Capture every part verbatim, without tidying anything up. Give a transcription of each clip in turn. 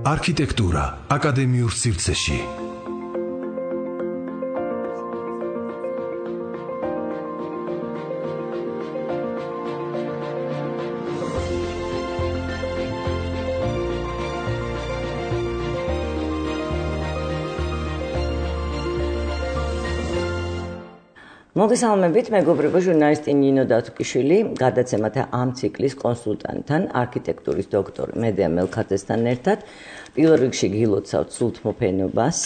არქიტექტურა აკადემიურ სივრცეში. მოგესალმებით, მეგობრებო, ჟურნალისტი ნინო დათუკიშვილი, გადაცემათა ამ ციკლის კონსულტანტთან, არქიტექტურის დოქტორ მედია მელქაძესთან ერთად. პირველ რიგში გილოცავთ სულთმოფენობას,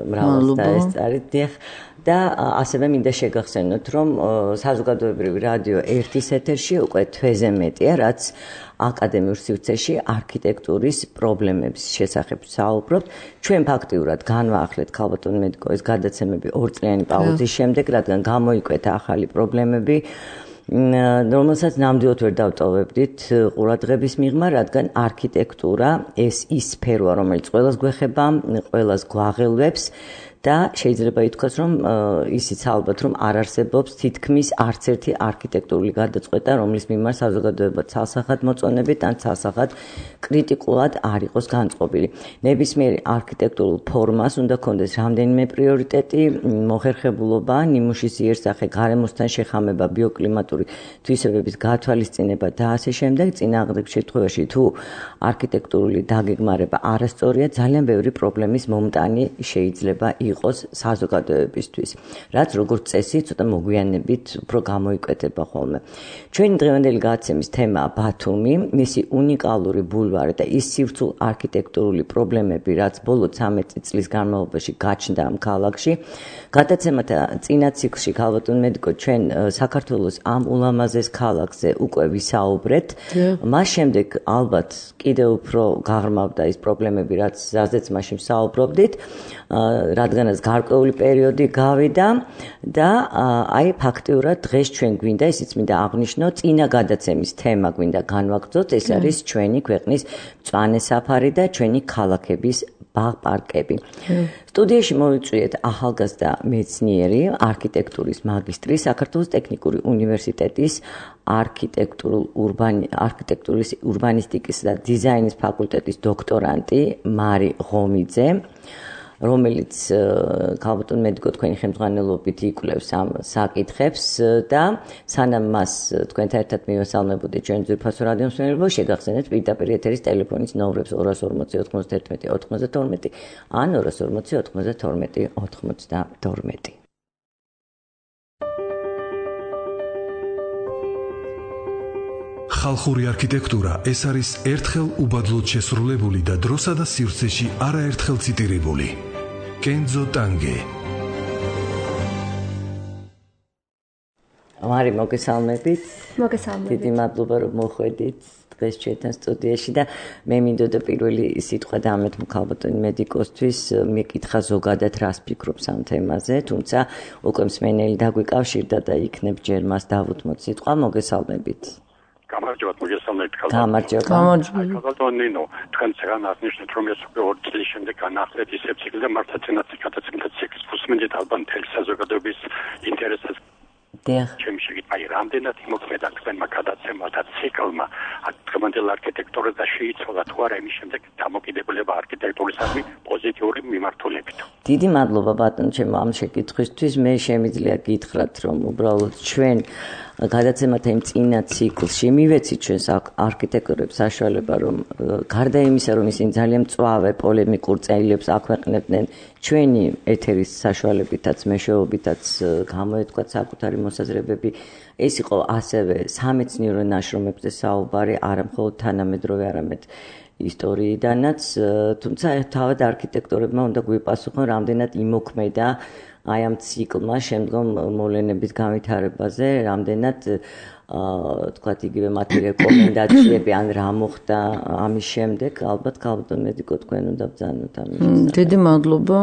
მრავალს დაესწარით და ასევე მინდა შეგახსენოთ, რომ საზოგადოებრივი რადიო ერთის ეთერში უკვე თვეზე მეტია, რაც აკადემიურ სივრცეში არქიტექტურის პრობლემების შესახებ საუბრობთ. ჩვენ ფაქტიურად განვაახლეთ ქალბატონ მედიკო ეს გადაცემები ორწლიანი პაუზის შემდეგ, რადგან გამოიკვეთა ახალი პრობლემები, რომელსაც ნამდვილად ვერ დავტოვებდით ყურადღების მიღმა, რადგან არქიტექტურა ეს ის სფეროა, რომელიც ყველას გვეხება, ყველას გვაღელვებს და შეიძლება ითქვას, რომ ისიც ალბათ, რომ არ არსებობს თითქმის არც ერთი არქიტექტურული გადაწყვეტა, რომლის მიმართ საზოგადოება ცალსახად მოწონებით ან ცალსახად კრიტიკულად არ იყოს განწყობილი. ნებისმიერ არქიტექტურულ ფორმას უნდა ჰქონდეს რამდენიმე პრიორიტეტი, მოხერხებულობა, ნიმუშის იერსახე, გარემოსთან შეხამება, ბიოკლიმატური თვისებების გათვალისწინება და ასე შემდეგ. წინააღმდეგ შემთხვევაში თუ არქიტექტურული დაგეგმარება არასწორია, ძალიან ბევრი პრობლემის მომტანი შეიძლება იყოს საზოგადოებისთვის, რაც როგორც წესი ცოტა მოგვიანებით უფრო გამოიკვეთება ხოლმე. ჩვენი დღევანდელი გადაცემის თემაა ბათუმი, მისი უნიკალური ბულვარი და ის სივრცულ არქიტექტურული პრობლემები, რაც ბოლო ცამეტი წლის განმავლობაში გაჩნდა ამ ქალაქში. გადაცემათა წინა ციკლში ქალბატონ მედიკო ჩვენ საქართველოს ამ ულამაზეს ქალაქზე უკვე ვისაუბრეთ. მას შემდეგ ალბათ კიდევ უფრო გაღრმავდა ის პრობლემები, რაც რაზეც მაშინ ვსაუბრობდით, რადგანაც გარკვეული პერიოდი გავიდა და აი ფაქტიურად დღეს ჩვენ გვინდა, ისიც მინდა აღვნიშნო, წინა გადაცემის თემა გვინდა განვაგრძოთ, ეს არის ჩვენი ქვეყნის მწვანე საფარი და ჩვენი ქალაქების ბაღ-პარკები. სტუდიაში მოვიწვიეთ ახალგაზრდა მეცნიერი, არქიტექტურის მაგისტრი, საქართველოს ტექნიკური უნივერსიტეტის არქიტექტურულ ურბანი არქიტექტურის ურბანისტიკის და დიზაინის ფაკულტეტის დოქტორანტი მარი ღომიძე, რომელიც ქალბატონ მედიკო თქვენი ხელმძღვანელობით იკვლევს ამ საკითხებს და სანამ მას თქვენთან ერთად მივესალმებოდი ჩვენ ძვირფასო რადიო მსმენელებო, შეგახსენეთ პირდაპირ ეთერის ტელეფონის ნომრებს ორას ორმოცი ოთხმოცდაერთმეტი ოთხმოცდათორმეტი ან ორას ორმოცი ოთხმოცდათორმეტი ოთხმოცდათორმეტი. ხალხური არქიტექტურა ეს არის ერთხელ უბადლოდ შესრულებული და დროსა და სივრცეში არაერთხელ ციტირებული. კენძო ტანგე. მარი მოგესალმებით. მოგესალმებით. დიდი მადლობა რომ მოხვედით დღეს ჩვენთან სტუდიაში და მე მინდოდა პირველი სიტყვა დამეთ ქალბატონ მედიკოსთვის მეკითხა ზოგადად რას ფიქრობს ამ თემაზე, თუმცა უკვე მსმენელი დაგვიკავშირდა და იქნებ ჯერ მას დავუთმოთ სიტყვა. მოგესალმებით. გამარჯობათ, მოგესალმებით ქალბატონ. გამარჯობა. გამარჯობა. ქალბატონ ნინო, თქვენ ძალიან აღნიშნეთ, რომ ეს უკვე ორი წლის შემდეგ განახლეთ ისე ციკლი და მართლა წინათ გადაცემთა ციკლის ფუსმენით ალბათ მთელი საზოგადოების ინტერესებს. დიახ. ჩემი შეკითხვა აი რამდენად იმოქმედა თქვენმა გადაცემათა ციკლმა დღევანდელ არქიტექტურას და შეიცვალა თუ არა იმის შემდეგ დამოკიდებულება არქიტექტურისადმი პოზიტიური მიმართულებით. დიდი მადლობა ბატონო ჩემო ამ შეკითხვისთვის. მე შემიძლია გითხრათ, რომ უბრალოდ ჩვენ გადაცემათა იმ წინა ციკლში მივეცით ჩვენს არქიტექტორებს საშუალება, რომ გარდა იმისა, რომ ისინი ძალიან მწვავე პოლემიკურ წერილებს აქვეყნებდნენ ჩვენი ეთერის საშუალებითაც, მეშვეობითაც გამოეთქვათ საკუთარი მოსაზრებები, ეს იყო ასევე სამეცნიერო ნაშრომებზე საუბარი, არა მხოლოდ თანამედროვე, არამედ ისტორიიდანაც, თუმცა თავად არქიტექტორებმა უნდა გვიპასუხონ, რამდენად იმოქმედა აი ამ ციკლმა შემდგომ მოვლენების განვითარებაზე, რამდენად თქვათ იგივე მათი რეკომენდაციები ან რა მოხდა ამის შემდეგ, ალბათ ქალბატონ მედიკო თქვენ უნდა ბრძანოთ ამის შესახებ. დიდი მადლობა.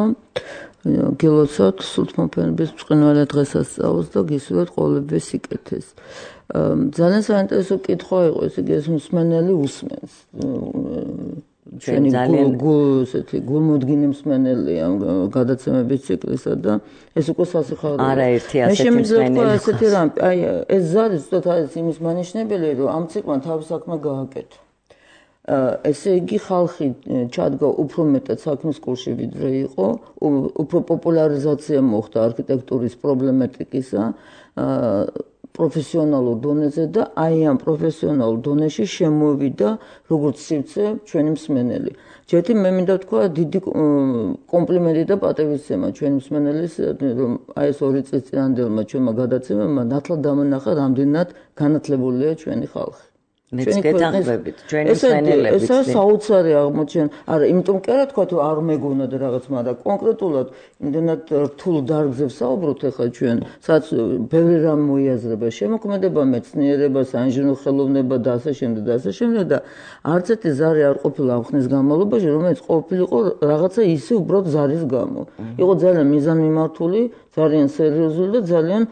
გილოცავთ სულთმოფენობის ბრწყინვალე დღესასწაულს და გისურვებთ ყოველივე სიკეთეს. ძალიან საინტერესო კითხვა იყო, ესე იგი ეს მსმენელი უსმენს. ჩვენ ძალიან ესეთი გულმოდგინე მსმენელია გადაცემების ციკლისა და ეს უკვე სასიხარულოა. არაერთი ასეთი მსმენელი. ესეთი რამ, აი ეს ზარი ზუსტად არის იმის მანიშნებელი, რომ ამ ციკლმა თავის საქმე გააკეთა. ესე იგი ხალხი ჩადგა უფრო მეტად საქმის კურსში ვიდრე იყო, უფრო პოპულარიზაცია მოხდა არქიტექტურის პრობლემატიკისა პროფესიონალურ დონეზე და აი ამ პროფესიონალურ დონეში შემოვიდა როგორც სივრცე ჩვენი მსმენელი. ჯერტი მე მინდა თქვა დიდი კომპლიმენტი და პატივისცემა ჩვენი მსმენელის, რომ აი ეს ორი წლის წინანდელმა ჩვენმა გადაცემებმა ნათლად დამონახა, რამდენად განათლებულია ჩვენი ხალხი. მეც გეთანხმებით, ჩვენი მსმენელები. ესა საოცარი აღმოჩენა. არა, იმიტომ კი არა თქვა, თუ არ მეგონა და რაღაც, მაგრამ კონკრეტულად იმდენად რთულ დარგზე ვსაუბრობთ ახლა ჩვენ, სადაც ბევრი რამ მოიაზრება, შემოქმედება, მეცნიერება, საინჟინრო ხელოვნება და ასე შემდეგ და ასე შემდეგ და არც ერთი ზარი არ ყოფილა ამ ხნის განმავლობაში, რომელიც ყოფილიყო რაღაცა ისე უბრალოდ ზარის გამო. იყო ძალიან მიზანმიმართული, ძალიან სერიოზული და ძალიან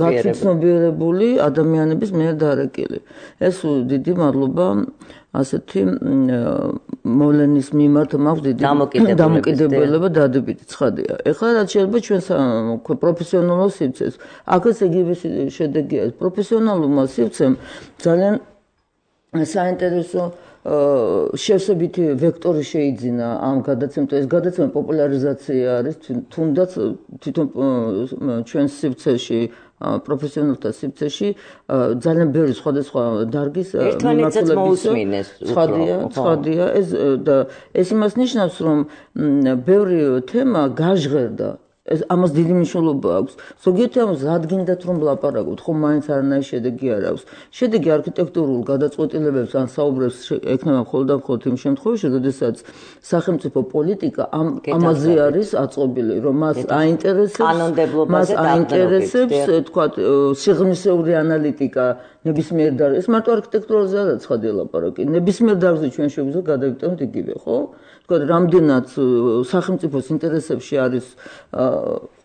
გაცნობიერებული ადამიანების მიერ დარეკილი. ეს დიდი მადლობა ასეთი მოვლენის მიმართ მაქვს დიდი დამოკიდებულება დადებითი ცხადია. ეხლა რაც შეიძლება ჩვენ პროფესიონალურ სივრცეს, აქაც იგივე შედეგია. პროფესიონალურმა სივრცემ ძალიან საინტერესო შევსებითი ვექტორი შეიძინა ამ გადაცემთან. ეს გადაცემა პოპულარიზაცია არის თუნდაც თვითონ ჩვენ სივრცეში პროფესიონალთა სივრცეში ძალიან ბევრი სხვადასხვა დარგის მიმართულების ცხადია, ცხადია ეს და ეს იმას ნიშნავს, რომ ბევრი თემა გაჟღერდა. ეს ამას დიდი მნიშვნელობა აქვს. ზოგიერთი ამას რადგინდათ რომ ვლაპარაკობთ, ხო მაინც არანაირი შედეგი არ აქვს. შედეგი არქიტექტურულ გადაწყვეტილებებს ან საუბრებს ექნება მხოლოდ და მხოლოდ იმ შემთხვევაში, როდესაც სახელმწიფო პოლიტიკა ამაზე არის აწყობილი, რომ მას აინტერესებს, მას აინტერესებს, თქვა, სიღრმისეული ანალიტიკა ნებისმიერ დარგზე. ეს მარტო არქიტექტურაზე არა ცხადია ლაპარაკი. ნებისმიერ დარგზე ჩვენ შეგვიძლია გადავიტანოთ იგივე, ხო? თქვა, რამდენად სახელმწიფოს ინტერესებში არის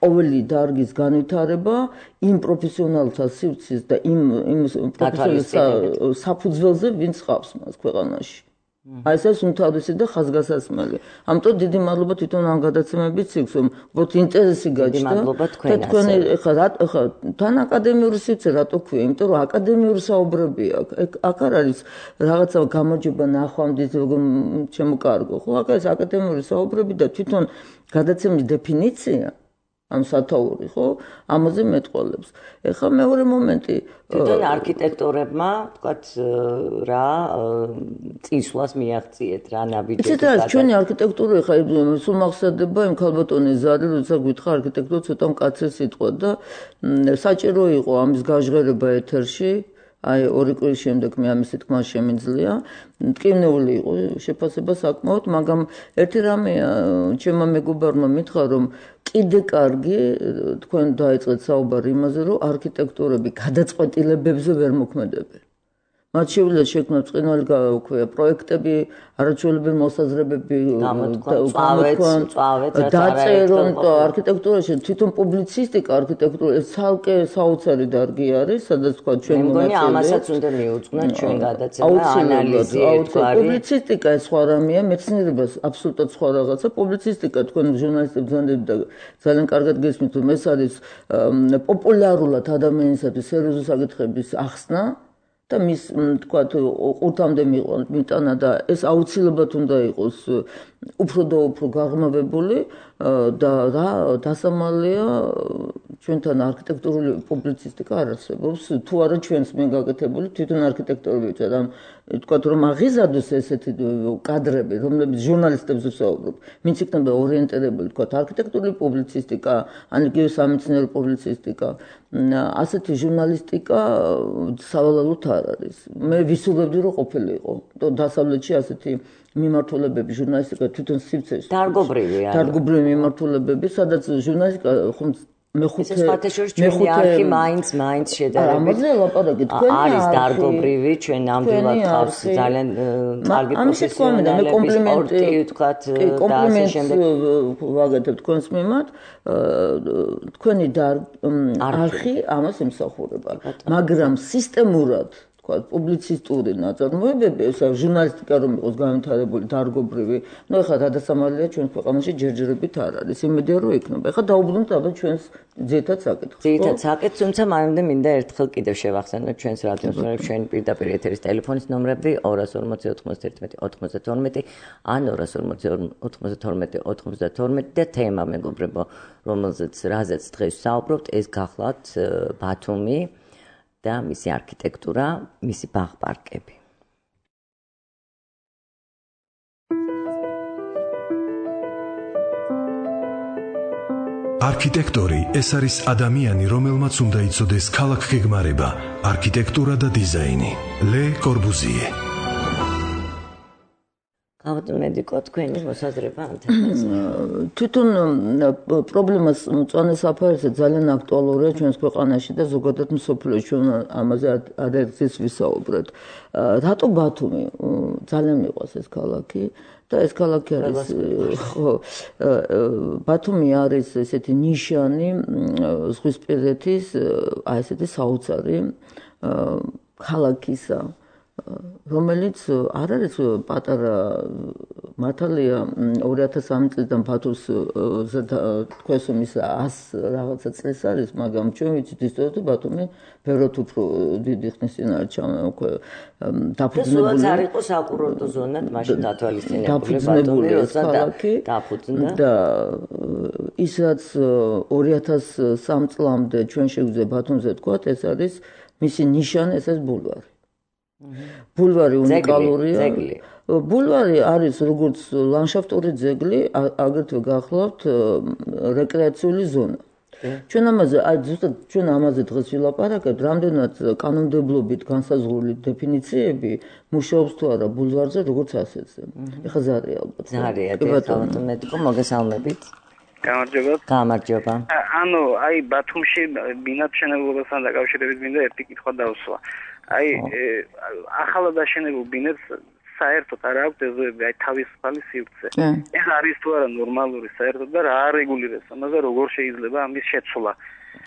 ყოველი დარგის განვითარება, იმ პროფესიონალთა სივრცის და იმ იმ პროფესიონალთა საფუძველზე, ვინც ხავს მას ქვეყანაში. აი ეს უმთავრესი და ხაზგასასმელი. ამიტომ დიდი მადლობა თვითონ ამ გადაცემების ციკლს, რომ უბრალოდ ინტერესი გაჩნდა. და თქვენ ეხლა ეხლა თან აკადემიური სივრცე რატო ქვია? იმიტომ რომ აკადემიური საუბრები აქვს. აქ არ არის რაღაცა გამარჯობა ნახვამდის შემოკარგო, ხო? აქ არის აკადემიური საუბრები და თვითონ გადაცემის დეფინიცია ამ სათაური, ხო? ამაზე მეტყოლებს. ეხლა მეორე მომენტი, თვითონ არქიტექტორებმა, თქვათ, რა წინსვლას მიაღწიეთ, რა ნაბიჯები. იცით რა, ჩვენი არქიტექტურა ეხლა სულ მახსოვდება იმ ქალბატონის ზარი, როცა გითხრა არქიტექტურა ცოტა მკაცრი სიტყვა და საჭირო იყო ამის გაჟღერება ეთერში. აი ორი კვირის შემდეგ მე ამის თქმა შემიძლია. მტკივნეული იყო შეფასება საკმაოდ, მაგრამ ერთი რამეა, ჩემმა მეგობარმა მითხრა, რომ კიდე კარგი თქვენ დაიწყეთ საუბარი იმაზე, რომ არქიტექტურები გადაწყვეტილებებზე ვერ მოქმედებენ. მათ შეუძლია შექმნათ ბრწყინვალე პროექტები, არაჩვეულებრივი მოსაზრებები, გამოთქვან, დაწერონ და არქიტექტურაში თვითონ პუბლიცისტიკა, არქიტექტურა ეს ცალკე საოცარი დარგი არის, სადაც თქვა ჩვენ მომაწელე. მე მგონი ამასაც უნდა მიუძღვნათ ჩვენ გადაცემა, ანალიზი ერთგვარი. პუბლიცისტიკა ეს სხვა რამეა, მეცნიერება აბსოლუტურად სხვა რაღაცა. პუბლიცისტიკა თქვენ ჟურნალისტებს ზანდებით და ძალიან კარგად გესმით, რომ ეს არის პოპულარულად ადამიანისათვის სერიოზული საკითხების ახსნა. და მის თქვა ყურთამდე მიტანა და ეს აუცილებლად უნდა იყოს უფრო და უფრო გაღრმავებული და რა დასამალია ჩვენთან არქიტექტურული პუბლიცისტიკა არ არსებობს თუ არა ჩვენს მე გაკეთებული თვითონ არქიტექტორები და თქვა რომ აღიზარდოს ესეთი კადრები რომლებიც ჟურნალისტებს ვსაუბრობ ვინც იქნება ორიენტირებული თქვა არქიტექტურული პუბლიცისტიკა ან იგივე სამეცნიერო პუბლიცისტიკა ასეთი ჟურნალისტიკა სავალალოდ არ არის მე ვისურვებდი რომ ყოფილიყო დასავლეთში ასეთი მიმართულებები ჟურნალისტიკა თვითონ სივრცეში დარგობრივი არის დარგობრივი მიმართულებები სადაც ჟურნალისტიკა ხომ მეხუთე მეხუთე არქი მაინც მაინც შედარებით არის დარგობრივი ჩვენ ნამდვილად ხავს ძალიან კარგი პროფესიონალები სპორტი ვთქვათ და ასე შემდეგ ვაგეთებ თქვენს მიმართ თქვენი არქი ამას ემსახურება მაგრამ სისტემურად თქვა, პუბლიცისტური ნაწარმოებები, ეს ჟურნალისტიკა რომ იყოს განვითარებული დარგობრივი, ну ეხლა გადასამალია ჩვენს ქვეყანაში ჯერჯერობით არ არის. იმედია რომ იქნება. ეხლა დაუბრუნდით აბა ჩვენს ძირითად საკითხს. ძირითად საკითხს, თუმცა მანამდე მინდა ერთხელ კიდევ შევახსენოთ ჩვენს რადიოს ნომრებს, ჩვენი პირდაპირ ეთერის ტელეფონის ნომრები ორი ორმოცი ოთხმოცდაერთმეტი ოცდათორმეტი ან ორი ორმოცი ოთხმოცდათორმეტი ოცდათორმეტი და თემა მეგობრებო, რომელზეც რაზეც დღეს საუბრობთ, ეს გახლავთ ბათუმი და მისი არქიტექტურა, მისი ბაღ-პარკები. არქიტექტორი ეს არის ადამიანი, რომელმაც უნდა იცოდეს ქალაქგეგმარება, არქიტექტურა და დიზაინი. ლე კორბუზიე. ალბათ მედიკო თქვენი მოსაზრება ამ თემაზე. თვითონ პრობლემას მწვანე საფარზე ძალიან აქტუალურია ჩვენს ქვეყანაში და ზოგადად მსოფლიოში ჩვენ ამაზე ადერცის ვისაუბრეთ. რატო ბათუმი ძალიან მიყვარს ეს ქალაქი და ეს ქალაქი არის ხო ბათუმი არის ესეთი ნიშანი ზღვისპირეთის აი ესეთი საოცარი ქალაქისა რომელიც არ არის პატარა მართალია ორი ათას სამი წლიდან ბათუმს თქვენს ის ას რაღაცა წელს არის, მაგრამ ჩვენ ვიცით ისტორიულად ბათუმი ბევრად უფრო დიდი ხნის წინ არის უკვე დაფუძნებული. და არ იყო საკურორტო ზონად მაშინ დათვალისწინებული ბათუმი, როცა დაფუძნდა. და ის რაც ორი ათას სამი წლამდე ჩვენ შეგვიძლია ბათუმზე ვთქვათ, ეს არის მისი ნიშანი, ეს არის ბულვარი. ბულვარი უნიკალურია. ბულვარი არის როგორც ლანდშაფტური ძეგლი, აგრეთვე გახლავთ რეკრეაციული ზონა. ჩვენ ამაზე, აი ზუსტად ჩვენ ამაზე დღეს ვილაპარაკებთ, რამდენად კანონმდებლობით განსაზღვრული დეფინიციები მუშაობს თუ არა ბულვარზე, როგორც ასეთზე. ეხლა ზარია ალბათ. ზარია, დიახ, მედიკო, მოგესალმებით. გამარჯობა. გამარჯობა. ანუ აი ბათუმში ბინადმშენებლობასთან დაკავშირებით მინდა ერთი კითხვა დავსვა. აი ახალად აშენებულ ბინებს საერთოდ არ აქვს ეზოები, აი თავისუფალი სივრცე. ეს არის თუ არა ნორმალური საერთოდ და რა არეგულირებს ამაზე, როგორ შეიძლება ამის შეცვლა?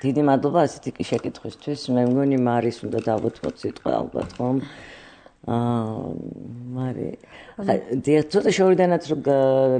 დიდი მადლობა ასეთი კი შეკითხვისთვის. მე მგონი მარის უნდა დავუთმოთ სიტყვა ალბათ, ხომ? აა მარი დიახ, ცოტა შორიდანაც რომ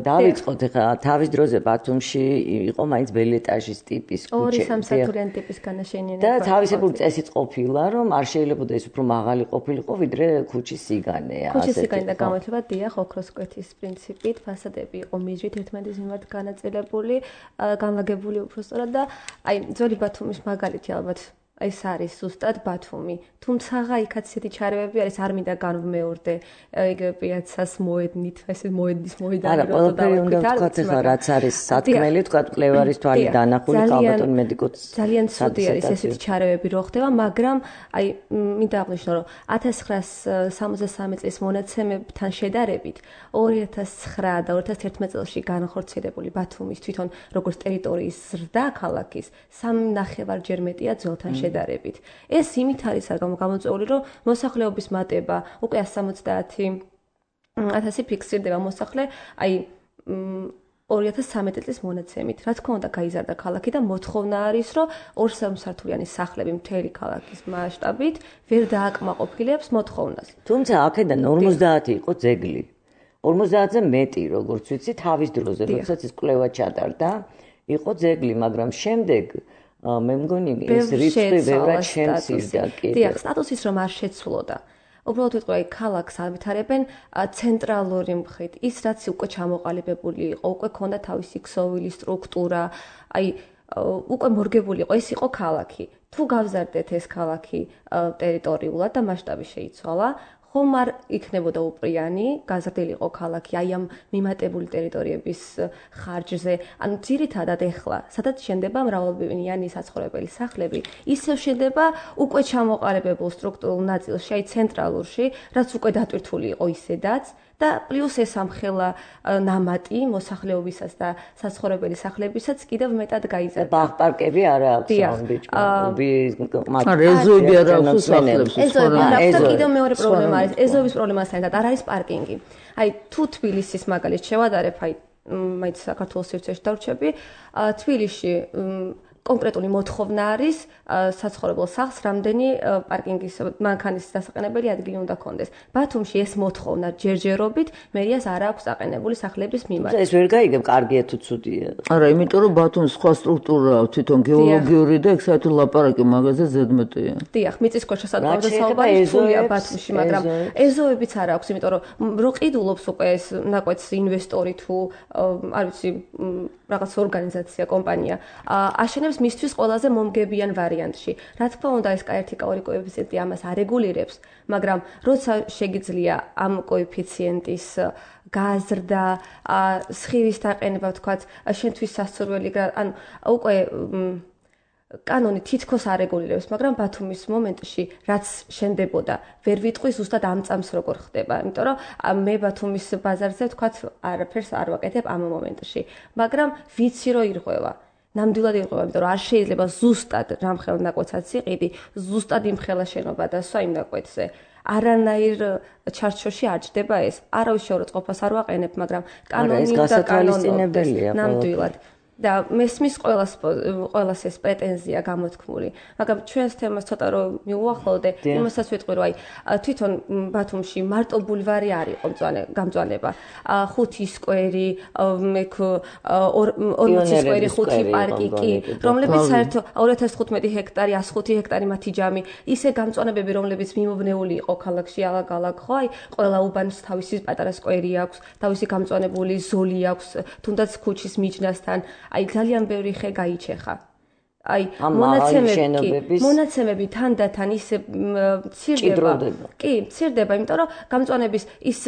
დავიწყოთ ახლა თავის დროზე ბათუმში იყო მაინც ბელი ეტაჟის ტიპის ქუჩა. ორი სამსართულიანი ტიპის განაშენიანება. და თავისებური წესიც ყოფილა, რომ არ შეიძლება ეს უფრო მაღალი ყოფილიყო, ვიდრე ქუჩის სიგანე. ქუჩის სიგანე და გამოთვლება დიახ, ოქროს კვეთის პრინციპით, ფასადები იყო მიზრით ერთმანეთის მიმართ განაწილებული, განლაგებული უბრალოდ და აი ძველი ბათუმის მაგალითი ალბათ ეს არის ზუსტად ბათუმი. თუმცა იქაც ისეთი ჩარევები არის, არ მინდა განვმეორდე იგივე პიაცას მოედნით, ესე მოედნის მოედანი რა ყველაფერი უნდა ვთქვათ ახლა რაც არის სათქმელი, ვთქვათ მკვლევარის თვალი დანახული, ალბათ მედიკოც ძალიან ცუდი არის ესეთი ჩარევები რო ხდება, მაგრამ აი მინდა აღნიშნო, რომ ათას ცხრაას სამოცდასამი წლის მონაცემებთან შედარებით ორი ათას ცხრა და ორი ათას თერთმეტ წელში განხორციელებული ბათუმის თვითონ როგორც ტერიტორიის ზრდა ქალაქის სამი ნახევარჯერ მეტია ძველთან შედარებით. ეს იმით არის გამოწვეული, რომ მოსახლეობის მატება უკვე ას სამოცდაათი ათასი ფიქსირდება მოსახლე, აი ორი ათას ცხრამეტი წლის მონაცემით. რა თქმა უნდა, გაიზარდა ქალაქი და მოთხოვნა არის, რომ ორ სამსართულიანი სახლები მთელი ქალაქის მასშტაბით ვერ დააკმაყოფილებს მოთხოვნას. თუმცა აქედან ორმოცდაათი იყო ძეგლი. ორმოცდაათზე მეტი, როგორც ვიცი, თავის დროზე, როდესაც ეს კვლევა ჩატარდა, იყო ძეგლი, მაგრამ შემდეგ მე მგონი ეს რიცხვი ბევრად შემცირდა კიდე. დიახ, სტატუსის რომ არ შეცვლოდა. უბრალოდ ვიტყვი, აი ქალაქს ავითარებენ ცენტრალური მხრით. ის რაც უკვე ჩამოყალიბებული იყო, უკვე ქონდა თავისი ქსოვილი სტრუქტურა, აი უკვე მორგებული იყო, ეს იყო ქალაქი. თუ გავზარდეთ ეს ქალაქი ტერიტორიულად და მასშტაბი შეიცვალა, ხომ არ იქნებოდა უპრიანი, გაზრდილი იყო ქალაქი აი ამ მიმატებული ტერიტორიების ხარჯზე. ანუ ძირითადად ეხლა, სადაც შენდება მრავალბინიანი საცხოვრებელი სახლები, ისევ შენდება უკვე ჩამოყალიბებულ სტრუქტურულ ნაწილში, აი ცენტრალურში, რაც უკვე დატვირთული იყო ისედაც და პლუს ეს ამხელა ნამატი მოსახლეობისას და საცხოვრებელი სახლებისაც კიდევ მეტად გაიზარდა. ბაღ-პარკები არა აქვს ამ ბიჭები, ეზოები არა აქვს სახლებს. ეზოები არა აქვს და კიდევ მეორე პრობლემა არის, ეზოების პრობლემასთან ერთად არ არის პარკინგი. აი თუ თბილისის მაგალითს შევადარებ, აი მაინც საქართველოს სივრცეში დავრჩები, თბილისში კონკრეტული მოთხოვნა არის საცხოვრებელ სახლს რამდენი პარკინგის მანქანის დასაყენებელი ადგილი უნდა კონდეს. ბათუმში ეს მოთხოვნა ჯერჯერობით მერიას არ აქვს დაყენებული სახლების მიმართ. ეს ვერ გაიგებ, კარგია თუ ცუდია. არა, იმიტომ რომ ბათუმის სხვა სტრუქტურაა თვითონ გეოლოგიური და ეგ საერთოდ ლაპარაკი მაგაზე ზედმეტია. დიახ, მიწისქვეშა საკუთრება საუბარი სულია ბათუმში, მაგრამ ეზოებიც არ აქვს, იმიტომ რომ რო ყიდულობს უკვე ეს ნაკვეთს ინვესტორი თუ არ ვიცი რაღაც ორგანიზაცია, კომპანია, აშენებს მისთვის ყველაზე მომგებიან ვარიანტში. რა თქმა უნდა, ეს ერთი კაორი კოეფიციენტი ამას არეგულირებს, მაგრამ როცა შეგიძლია ამ კოეფიციენტის გაზრდა, სხივის დაყენება, თქვათ, შენთვის სასურველი, ანუ უკვე კანონი თითქოს არეგულირებს, მაგრამ ბათუმის მომენტში რაც შენდებოდა, ვერ ვიტყვი ზუსტად ამ წამს როგორ ხდება, იმიტომ რომ მე ბათუმის ბაზარზე თქვათ არაფერს არ ვაკეთებ ამ მომენტში, მაგრამ ვიცი რომ ირღვევა. ნამდვილად ირღვევა, იმიტომ რომ არ შეიძლება ზუსტად რამხელ ნაკვეთსაც იყიდი, ზუსტად იმხელა შენობა დასვა იმ ნაკვეთზე. არანაირ ჩარჩოში არ ჯდება ეს. არავის შეურაცხყოფას არ ვაყენებ, მაგრამ კანონი და გასათვალისწინებელია. ნამდვილად. და მესმის ყოველას ყოველას ეს პრეტენზია გამოთქმული. მაგრამ ჩვენს თემას ცოტა რომ მიუახლოვდე, იმასაც ვიტყვი რომ აი თვითონ ბათუმში მარტო ბულვარი არ იყო გამწვანება. ხუთი სკვერი, მეკ ორმოცი სკვერი, ხუთი პარკი კი, რომლებიც საერთოდ ორი ათას თხუთმეტი ჰექტარი, ას ხუთი ჰექტარი მათი ჯამი, ისე გამწვანებები, რომლებიც მიმობნეული იყო ქალაქში ალაგ-ალაგ, ხო, აი ყველა უბანს თავისი პატარა სკვერი აქვს, თავისი გამწვანებული ზოლი აქვს, თუნდაც ქუჩის მიჯნასთან. აი ძალიან ბევრი ხე გაიჩეხა. აი მონაცემები, მონაცემები თანდათან ისე მცირდება. კი, მცირდება, იმიტომ რომ გამწვანების ის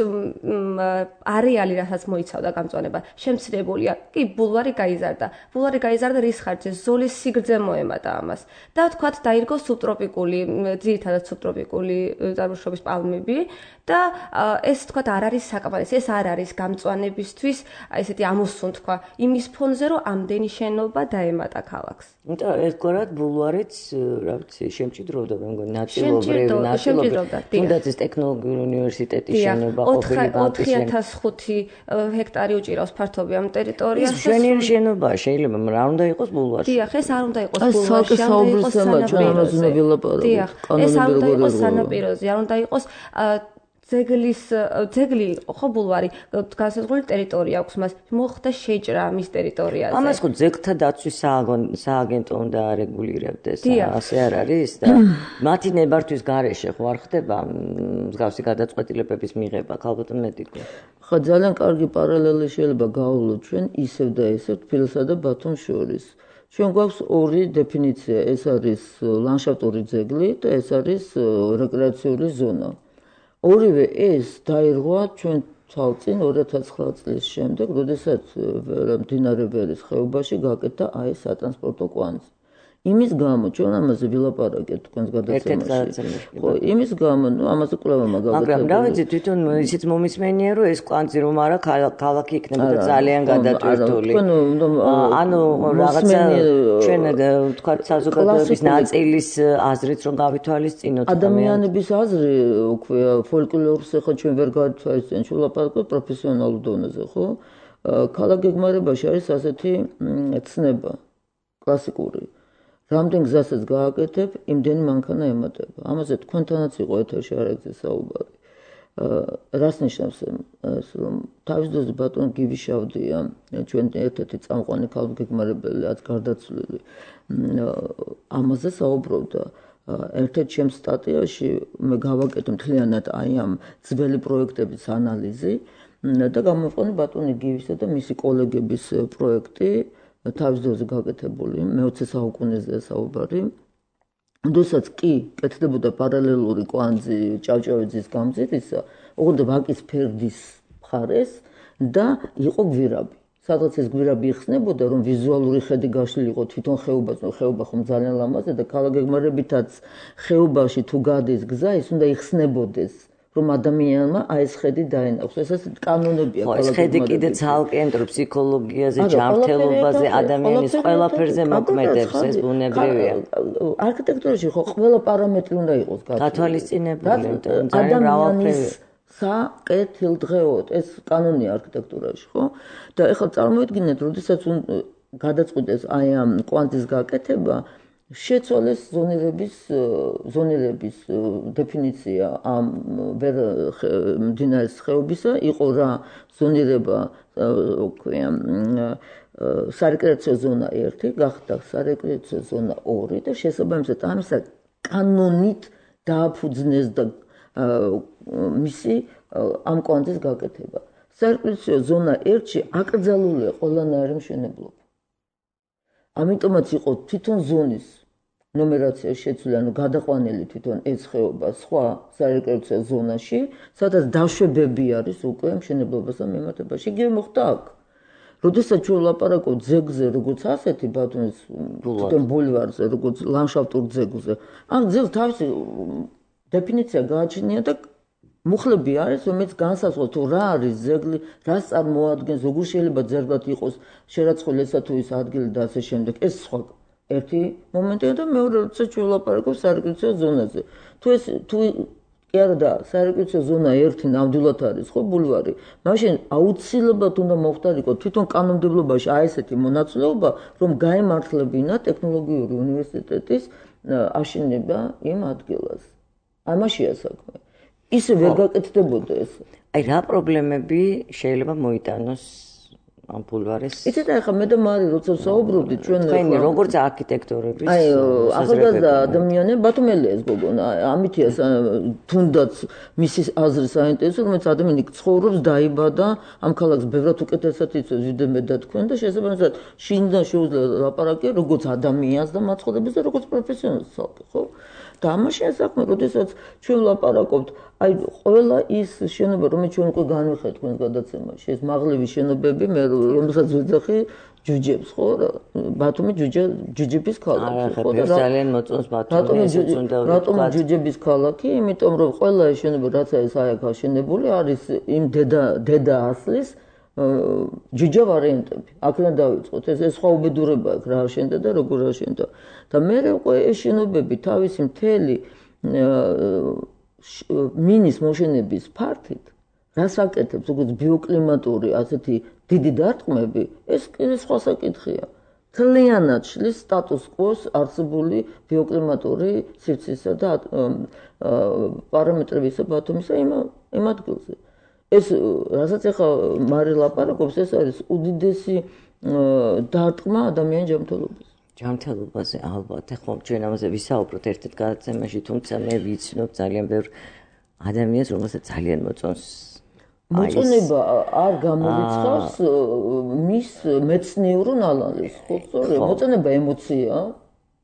არეალი, რასაც მოიცავდა გამწვანება, შემცირებულია. კი, ბულვარი გაიზარდა. ბულვარი გაიზარდა რის ხარჯზე? ზოლის სიგრძე მოემატა ამას. და თქვათ დაირგო სუბტროპიკული, ძირითადად სუბტროპიკული წარმოშობის პალმები და ეს თქვათ არ არის საკმარისი, ეს არ არის გამწვანებისთვის, ესეთი ამოსუნ თქვა, იმის ფონზე რომ ამდენი შენობა დაემატა ქალაქს. ერთგვარად ბულვარიც, რა ვიცი, შემჭიდროვდა, მე მგონი, ნაწილობრივ, ნაწილობრივ. თუნდაც ეს ტექნოლოგიური უნივერსიტეტის შენობა ყოფილი ბანკის ოთხი ათას ხუთი ჰექტარი უჭირავს ფართობი ამ ტერიტორიას. ის მშვენიერი შენობაა, შეიძლება, მაგრამ არ უნდა იყოს ბულვარში. დიახ, ეს არ უნდა იყოს ბულვარში, არ უნდა იყოს სანაპიროზე. დიახ, ეს არ უნდა იყოს სანაპიროზე, არ უნდა იყოს ძეგლის ძეგლი ხო ბულვარი განსაზღვრული ტერიტორია აქვს მას მოხდა შეჭრა მის ტერიტორიაზე. ამას ხო ძეგლთა დაცვის სააგენტო უნდა არეგულირებდეს, ასე არ არის და მათი ნებართვის გარეშე ხო არ ხდება მსგავსი გადაწყვეტილებების მიღება, ქალბატონ მედიკო. ხო ძალიან კარგი პარალელი შეიძლება გავავლოთ ჩვენ ისევ და ისევ თბილისსა და ბათუმს შორის. ჩვენ გვაქვს ორი დეფინიცია, ეს არის ლანდშაფტური ძეგლი და ეს არის რეკრეაციული ზონა. ორივე ეს დაირღვა ჩვენ თვალწინ ორი ათას ცხრა წლის შემდეგ, როდესაც მდინარე ვერის ხეობაში გაკეთდა აი ეს სატრანსპორტო კვანძი. იმის გამო ჩვენ ამაზე ვილაპარაკეთ თქვენს გადაცემაში. ხო, იმის გამო, ну, ამაზე კვლევა მაგალითად. მაგრამ რა ვიცი, თვითონ ისიც მომისმენია, რომ ეს კვანძი რომ არა ქალაქი იქნებოდა ძალიან გადატვირთული. ანუ რაღაცა ჩვენ თქვა საზოგადოების ნაწილის აზრით რომ გავითვალისწინოთ. ადამიანების აზრი, უკვე ფოლკლორს ახლა ჩვენ ვერ გავითვალისწინებთ, ჩვენ ვლაპარაკობთ პროფესიონალურ დონეზე, ხო? ქალაქ გეგმარებაში არის ასეთი ცნება კლასიკური. რამდენ გზასაც გააკეთებ, იმდენი მანქანა ემატება. ამაზე თქვენთანაც იყო ეთერში არ ეგზე საუბარი. რას ნიშნავს ეს, რომ თავის დროზე ბატონ გივიშავდია, ჩვენ ერთ-ერთი წამყვანი ქალგეგმარებელი, რაც გარდაცვლილი, ამაზე საუბრობდა. ერთ-ერთ ჩემს სტატიაში მე გავაკეთე მთლიანად აი ამ ძველი პროექტების ანალიზი და გამოვიყენე ბატონი გივისა და მისი კოლეგების პროექტი. თავის დროზე გაკეთებული მეოცე საუკუნეზე საუბარი. როდესაც კი კეთდებოდა პარალელური კვანძი ჭავჭავეძის გამზირისა, ოღონდ ვაკის ფერდის მხარეს და იყო გვირაბი. სადღაც ეს გვირაბი იხსნებოდა, რომ ვიზუალური ხედი გაშლილი იყო თვითონ ხეობაში, ხეობა ხომ ძალიან ლამაზია და ქალაქგეგმარებითაც ხეობაში თუ გადის გზა, ის უნდა იხსნებოდეს. რომ ადამიანმა აი ეს ხედი დაენახოს. ეს ეს კანონებია ქალაქგეგმარებითაც. ეს ხედი კიდე ცალკე ფსიქოლოგიაზე, ჯანმრთელობაზე, ადამიანის ყველაფერზე მოქმედებს, ეს ბუნებრივია. არქიტექტურაში ხო ყველა პარამეტრი უნდა იყოს გათვალისწინებული, ძალიან მრავალფერია. საკეთილდღეოდ ეს კანონია არქიტექტურაში, ხო? და ეხლა წარმოიდგინეთ, როდესაც გადაწყვიტეს აი ამ კვანტის გაკეთება, შეცვალეს ზონირების ზონირების დეფინიცია ამ ვერ მდინარის ხეობისა, იყო რა ზონირება, ქვია, სარეკრეაციო ზონა ერთი, გახდა სარეკრეაციო ზონა ორი და შესაბამისად ამისა კანონით დააფუძნეს და მისი ამ კვანტის გაკეთება. სარეკრეაციო ზონა ერთში აკრძალულია ყველანაირი მშენებლობა. ამიტომაც იყო თვითონ ზონის ნომერაცია შეცვლილი, ანუ გადაყვანილი თვითონ ეს ხეობა სხვა სარეკრეაციო ზონაში, სადაც დაშვებები არის უკვე მშენებლობასთან მიმართებაში. იგივე მოხდა აქ. როდესაც ჩვენ ვლაპარაკობთ ძეგლზე, როგორც ასეთი ბათუმის თვითონ ბულვარზე, როგორც ლანდშაფტურ ძეგლზე, ამ ძეგლს თავისი დეფინიცია გააჩნია და მუხლები არის, რომელიც განსაზღვრავს თუ რა არის ძეგლი, რას წარმოადგენს, როგორ შეიძლება ძეგლად იყოს შერაცხული ესა თუ ის ადგილი და ასე შემდეგ. ეს სხვა ერთი მომენტია და მეორე როცა ჩვენ ვლაპარაკობთ სარეკრეაციო ზონაზე. თუ ეს თუ კი არა და სარეკრეაციო ზონა ერთი ნამდვილად არის ხო ბულვარი, მაშინ აუცილებლად უნდა მოხდარიყო თვითონ კანონმდებლობაში აი ესეთი მონაცვლეობა, რომ გაემართლებინა ტექნოლოგიური უნივერსიტეტის აშენება იმ ადგილას. ამაშია საქმე. ისე ვერ გაკეთდებოდა ეს. აი რა პრობლემები შეიძლება მოიტანოს ამ ბულვარის? იცით ახლა მე და მარი როცა საუბრობდით ჩვენ თქვენი როგორც არქიტექტორების აი ახალგაზრდა ადამიანები ბათუმელია ეს გოგონა ამითია თუნდაც მისი აზრი საინტერესო რომელიც ადამიანი ცხოვრობს დაიბადა ამ ქალაქს ბევრად უკეთესად იცავს ვიდრე მე და თქვენ და შესაბამისად შინიდან შეუძლია ლაპარაკი როგორც ადამიანს და მაცხოვრებელს და როგორც პროფესიონალს ხო და ამაშია საქმე, როდესაც ჩვენ ვლაპარაკობთ, აი ყველა ის შენობა, რომელიც ჩვენ უკვე განვიხეთ თქვენ გადაცემაში, ეს მაღლივი შენობები, მე რომელსაც ვეძახი ჯუჯებს, ხო? ბათუმი ჯუჯა ჯუჯების ქალაქი, ხო? და ძალიან მოწონს ბათუმი, ეს უნდა ვთქვათ. რატომ ჯუჯების ქალაქი? იმიტომ რომ ყველა ეს შენობა, რაც არის აი აქ აშენებული, არის იმ დედა დედა ასლის ჯუჯა ვარიანტები. აქედან დავიწყოთ. ეს ეს სხვა უბედურება აქვს რა აშენდა და როგორ აშენდა. და მე უკვე ეს შენობები თავისი მთელი მინის მოშენების ფართით რას აკეთებს, როგორც ბიოკლიმატური ასეთი დიდი დარტყმები, ეს სხვა საკითხია. მთლიანად შლის სტატუს კვოს არსებული ბიოკლიმატური სივრცისა და პარამეტრებისა ბათუმისა იმ ადგილზე. ეს რასაც ახლა მარი ლაპარაკობს, ეს არის უდიდესი დარტყმა ადამიანის ჯანმრთელობის. ჯანმრთელობაზე ალბათ. ახლა ჩვენ ამაზე ვისაუბროთ ერთ-ერთ გადაცემაში, თუმცა მე ვიცნობ ძალიან ბევრ ადამიანს, რომელსაც ძალიან მოწონს. მოწონება არ გამორიცხავს მის მეცნიერ ნალალს, ხო სწორია? მოწონება ემოცია.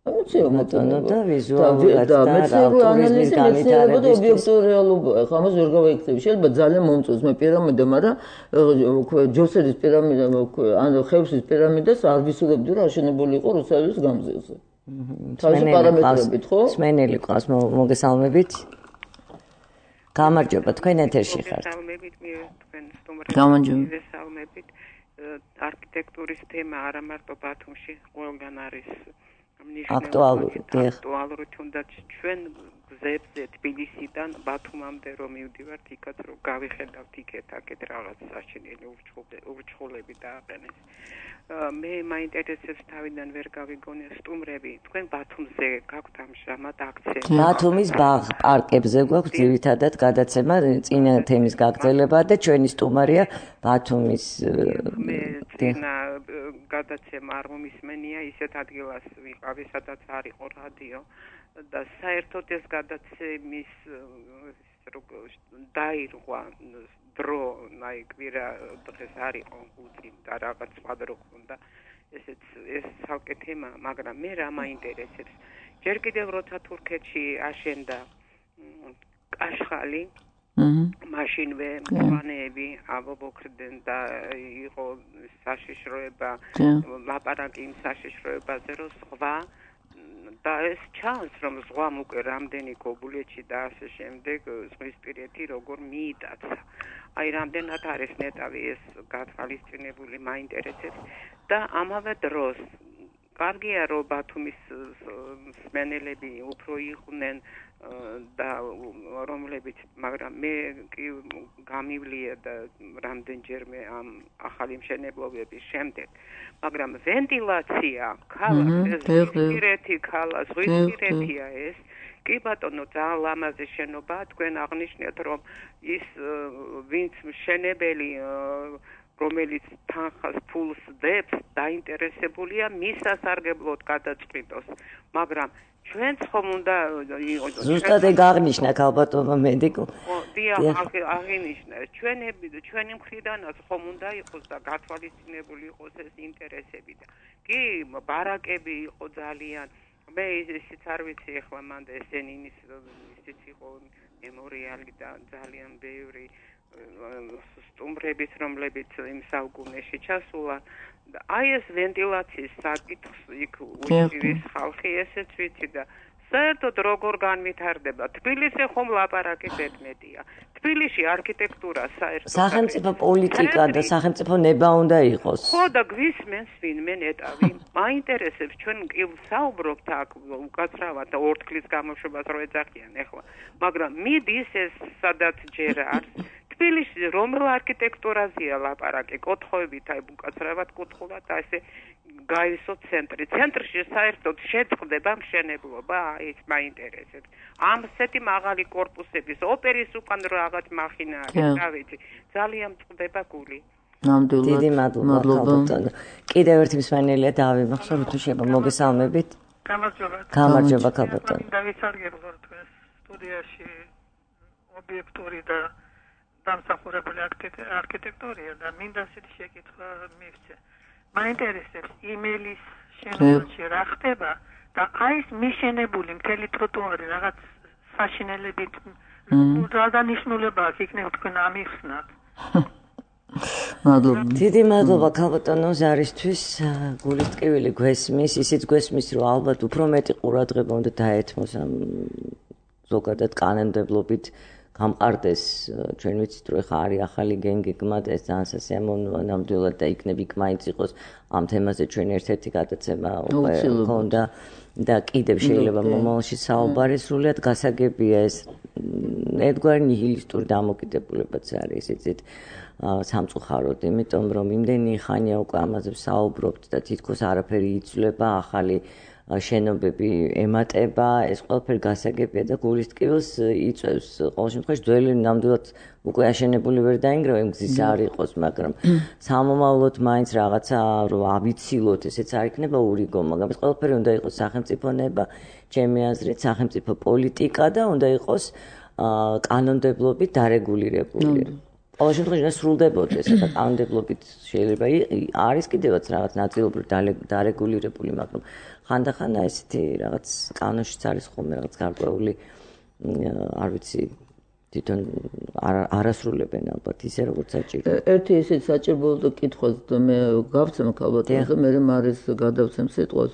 ემოცია მოწონება და ვიზუალურად და მეცნიერი ანალიზი მეცნიერება და ობიექტური რეალობა. ახლა ამას ვერ გავაიქცევი. შეიძლება ძალიან მომწონს მე პირამიდა, მაგრამ ჯოსერის პირამიდა, ან ხევსის პირამიდას არ ვისურვებდი რომ აშენებული იყო რუსეთის გამზელზე. თავისი პარამეტრებით, ხო? სმენელი ყავს, მოგესალმებით. გამარჯობა, თქვენ ეთერში ხართ. მოგესალმებით, მე თქვენ სტუმრებს. გამარჯობა. მოგესალმებით. არქიტექტურის თემა არა მარტო ბათუმში, ყველგან არის აქტუალური, აქტუალური თუნდაც ჩვენ გზებზე თბილისიდან ბათუმამდე რომ მივდივართ, იქაც რომ გავიხედავთ იქეთ-აქეთ რაღაც საშინელი ურჩხულები დააყენეს. მე მაინტერესებს თავიდან ვერ გავიგონე სტუმრები, თქვენ ბათუმზე გაქვთ ამჟამად აქცენტი. ბათუმის ბაღ პარკებზე გვაქვს ძირითადად გადაცემა, წინა თემის გაგრძელება და ჩვენი სტუმარია ბათუმის მე წინა გადაცემა არ მომისმენია ისეთ ადგილას ვიყავი, სადაც არ იყო რადიო და საერთოდ ეს გადაცემის დაირღვა დრო, აი კვირა დღეს არ იყო უძი და რაღაც სხვა დრო ხონდა. ესეც ეს ცალკე თემა, მაგრამ მე რა მაინტერესებს. ჯერ კიდევ როცა თურქეთში აშენდა კაშხალი, მაშინვე მწვანეები ამობოქრდნენ და იყო საშიშროება, ლაპარაკი იმ საშიშროებაზე, რომ სხვა და ეს ჩანს, რომ ზღვამ უკვე რამდენი გოგულეთში და ასე შემდეგ ზღვისპირეთი როგორ მიიტაცა. აი რამდენად არის ნეტავი ეს გათვალისწინებული, მაინტერესებს და ამავე დროს კარგია რომ ბათუმის სმენელები უფრო იყვნენ და რომლებიც მაგრამ მე კი გამივლია და რამდენჯერმე ამ ახალი მშენებლობების შემდეგ მაგრამ ვენტილაცია ქალაქს ზღვისპირეთი ქალა ზღვისპირეთია ეს კი ბატონო ძალიან ლამაზი შენობა თქვენ აღნიშნეთ რომ ის ვინც მშენებელი რომელიც თანხას ფულს დებს დაინტერესებულია მის სასარგებლოდ გადაწყვიტოს მაგრამ ჩვენც ხომ უნდა ზუსტად ეგ აღნიშნა ქალბატონმა მედიკო დიახ აღინიშნა ჩვენები ჩვენი მხრიდანაც ხომ უნდა იყოს და გათვალისწინებული იყოს ეს ინტერესები და კი ბარაკები იყო ძალიან მე ისიც არ ვიცი ახლა მანდ ესენინის ისიც იყო მემორიალი და ძალიან ბევრი სტუმრების რომლებიც იმ საუკუნეში ჩასულან და აი ეს ვენტილაციის საკითხს იქ უჭირის ხალხი ესეც ვიცი და საერთოდ როგორ განვითარდება თბილისში ხომ ლაპარაკი ბედმეტია თბილისში არქიტექტურა საერთოდ სახელმწიფო პოლიტიკა და სახელმწიფო ნება უნდა იყოს ხო და გვისმენს ვინმე ნეტავი მაინტერესებს ჩვენ კი საუბრობთ აქ უკაცრავად და ორთქლის გამოშვებას რო ეძახიან ახლა მაგრამ მიდის ეს სადაც ჯერ არის თბილისში რომელ არქიტექტურაზეა ლაპარაკი კოთხოებით აი უკაცრავად კუთხულად და ესე გაივსო ცენტრი ცენტრში საერთოდ შეწყდება მშენებლობა ის მაინტერესებს ამ სეთი მაღალი корпуსების ოპერის უკან რაღაც მახინა არის რა ვიცი ძალიან წყდება გული ნამდვილად დიდი მადლობა კიდევ ერთი მსმენელია დავიმახსოვრ თუ შეიძლება მოგესალმებით გამარჯობა გამარჯობა ქალბატონო დავისარგებლო თქვენს სტუდიაში ობიექტური და დამსახურებული არქიტექტურია და მინდა ისეთი შეკითხვა მივცე მაინტერესებს იმელის შენობაში რა ხდება და აი ეს მიშენებული მთელი ტროტუარი რაღაც საშინელებით რა დანიშნულება აქვს იქნებ თქვენ ამიხსნათ მადლობა დიდი მადლობა ქალბატონო ზარისთვის გულის ტკივილი გვესმის ისიც გვესმის რომ ალბათ უფრო მეტი ყურადღება უნდა დაეთმოს ამ ზოგადად კანონმდებლობით გამყარდეს ჩვენ ვიცით რომ ხა არის ახალი გენგეგმა და ეს ძალიან სასიამოვნოა ნამდვილად და იქნებ იქ მაინც იყოს ამ თემაზე ჩვენ ერთ-ერთი გადაცემა უკვე ჰქონდა და კიდევ შეიძლება მომავალში საუბარი სრულიად გასაგებია ეს ერთგვარი ნიჰილისტური დამოკიდებულებაც არის იცით სამწუხაროდ იმიტომ რომ იმდენი ხანია უკვე ამაზე საუბრობთ და თითქოს არაფერი იცვლება ახალი შენობები ემატება ეს ყველაფერი გასაგებია და გულის ტკივილს იწევს ყოველ შემთხვევაში ძველი ნამდვილად უკვე აშენებული ვერ დაინგრევა იმ გზის არ იყოს მაგრამ სამომავლოდ მაინც რაღაცა რომ ავიცილოთ ესეც არ იქნება ურიგო მაგრამ ეს ყველაფერი უნდა იყოს სახელმწიფო ნება ჩემი აზრით სახელმწიფო პოლიტიკა და უნდა იყოს კანონმდებლობით დარეგულირებული ყოველ შემთხვევაში სრულდებოდეს და კანონმდებლობით შეიძლება არის კიდევაც რაღაც ნაწილობრივ დარეგულირებული მაგრამ ხანდახან ესეთი რაღაც კანონშიც არის ხოლმე რაღაც გარკვეული არ ვიცი თვითონ არასრულებენ ალბათ ისე როგორც საჭირო. ერთი ისეთ საჭირო კითხვას მე გავცემ ქალბატონს და მე მარის გადავცემ სიტყვას.